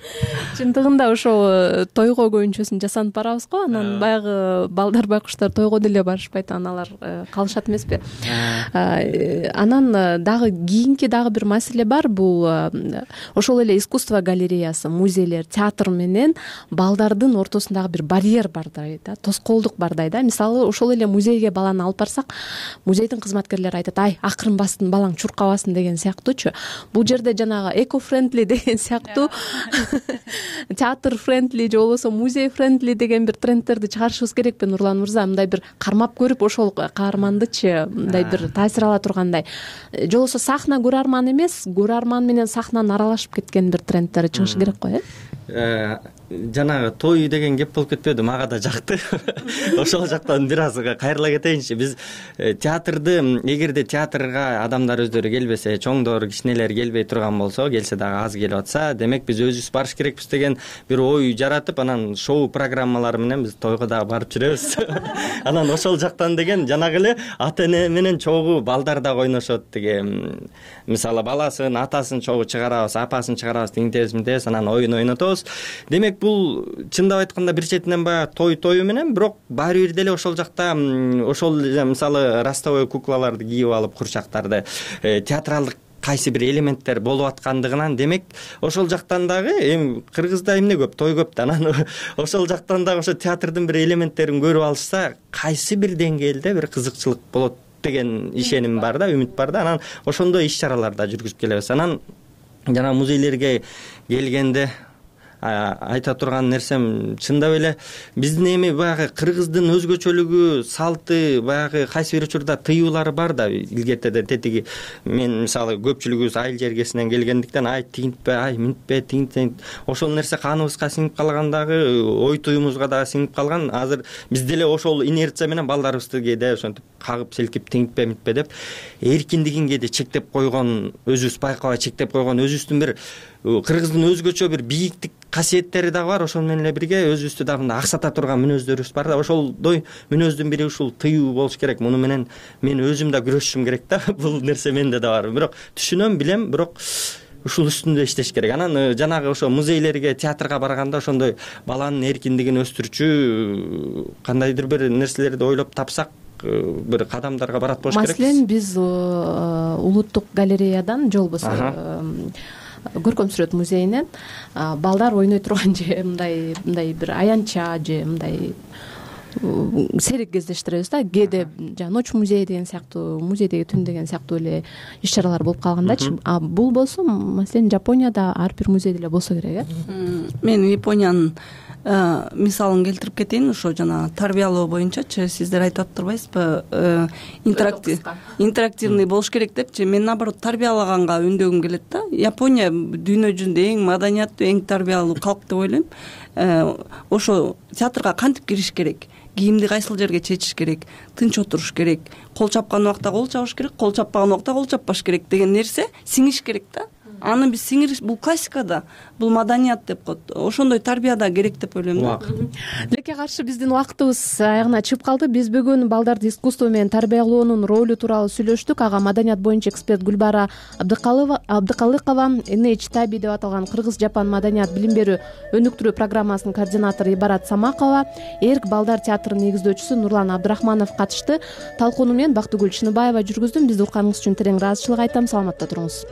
Чындыгында ошол тойго көбүнчөсүн жасанып барабыз го, анан баягы балдар, байкуштар тойго деле барышпайт, аналар калышат эмеспи? Анан дагы кийинки дагы бир маселе бар, бул ошол эле искусство галереясы, музейлер, театр менен балдардын ортосундагы бир барьер бардай да, тоскоолдук бардай да. Мисалы, ошол эле музейге баланы алып барсак, музейдин кызматкерлери айтат, ай, акырын бастын, балаң чуркабасын деген сыяктуучу. Бул жерде жанагы эко-френдли деген сыяктуу, театр френдли же болбосо музей френдли деген бир трендтерди чыгарышыбыз керекпи, Нурлан мырза? Мындай бир кармап көрүп, ошол каармандычы мындай бир таасир ала тургандай, же болбосо сахна көрөрман эмес, көрөрман менен сахнанын аралашып кеткен бир трендтер чыгышы керек го, э? Жанагы той деген кеп болуп кетпеди, мага да жакты. Ошол жактан бир аз кайрыла кетейинчи. Биз театрды, эгерде театрга адамдар өздөрү келбесе, чоңдор, кичинелер келбей турган болсо, келсе дагы аз келип атса, демек биз өзүбүз барыш керекпиз деген бир ой жаратып, анан шоу программалары менен биз тойго дагы барып жүрөбүз. Анан ошол жактан деген жанагы эле ата эне менен чогуу балдар дагы ойношот деген. Мисалы, баласын, атасын чогуу чыгарабыз, апасын чыгарабыз, тиңтебиз, мынтебиз, анан оюн ойнотобуз. Демек бул чындап айтканда бир четинен баягы той тою менен, бирок баары бир деле ошол жакта ошол мисалы ростовой куклаларды кийип алып, курчактарды, театралдык кайсы бир элементтер болуп аткандыгынан, демек ошол жактан дагы эми Кыргызда эмне көп, той көп да, анан ошол жактан дагы ошо театрдын бир элементтерин көрүп алышса, кайсы бир деңгээлде бир кызыкчылык болот деген ишеним бар да, үмүт бар да. Анан ошондой иш-чараларда жүргүзүп келебиз. Анан жана музейлерге келгенде айта турган нерсем, чындап эле биздин эми баягы кыргыздын өзгөчөлүгү, салты, баягы кайсы бир учурда тыюулары бар да. Илгертеде тетиги мен мисалы көпчүлүгүбүз айыл жергесинен келгендиктен, ай тигинтпе, ай минтпе, тигинтпе, ошол нерсе каныбызга сиңип калган дагы, ой туюмузга дагы сиңип калган. Азыр биз деле ошол инерция менен балдарыбызды кээде ошентип кагып селкип, тигинтпе, минтпе деп эркиндигин кээде чектеп койгон, өзүбүз байкабай чектеп койгон, өзүбүздүн бир кыргыздын өзгөчө бир бийиктик касиеттери дагы бар. Ошол менен эле бирге өзүбүздү дагы аксата турган мүнөздөрүбүз бар да. Ошолдой мүнөздүн бири ушул тыюу болуш керек. Муну менен мен өзүм да күрөшүшүм керек да. Бул нерсе менде да бар. Бирок түшүнөм, билем, бирок ушул үстүндө иштеш керек. Анан жанагы ошо музейлерге, театрга барганда ошондой баланын эркиндигин өстүрчү кандайдыр бир нерселерди ойлоп тапсак, бир кадамдарга барат болуш керек. Маселен, биз улуттук галереядан же болбосо көркөм сүрөт музейинен балдар ойной турган же мындай мындай бир аянтча же мындай сейрек кездештиребиз да. Кээде жанагы ночь музей деген сыяктуу, музейдеги түн деген сыяктуу эле иш чаралар болуп калгандачы. А бул болсо маселен Жапонияда ар бир музейде эле болсо керек, э? Мен Япониянын мисалын келтирип кетейин. Ошо жана тарбиялоо боюнчачы сиздер айтып атпайсызбы, интерактив интерактивный болуш керек депчи. Мен наоборот тарбиялаганга үндөгүм келет да. Япония дүйнө жүзүндө эң маданияттуу, эң тарбиялуу калк деп ойлойм. Ошо театрга кантип кириш керек, кийимди кайсыл жерге чечиш керек, тынч отуруш керек, кол чапкан убакта кол чабыш керек, кол чаппаган убакта кол чаппаш керек деген нерсе сиңиш керек да. Аны биз сиңириш, бул классикада, бул маданият деп коет. Ошондой тарбияда керек деп ойлойм да. Тилекке каршы биздин убактыбыз аягына чыгып калды. Биз бүгүн балдарды искусство менен тарбиялоонун ролу тууралуу сүйлөштүк. Ага маданият боюнча эксперт Гүлбара Абдыкалыкова, эн эйч таби деп аталган Кыргыз-Жапон маданият билим берүү өнүктүрүү программасынын координатору Ибарат Самакова, Эрк балдар театрынын негиздөөчүсү Нурлан Абдрахманов катышты. Талкууну менен Бактыгүл Чыныбаева жүргүздүм. Бизди укканыңыз үчүн терең ыраазычылык айтам. Саламатта туруңуз.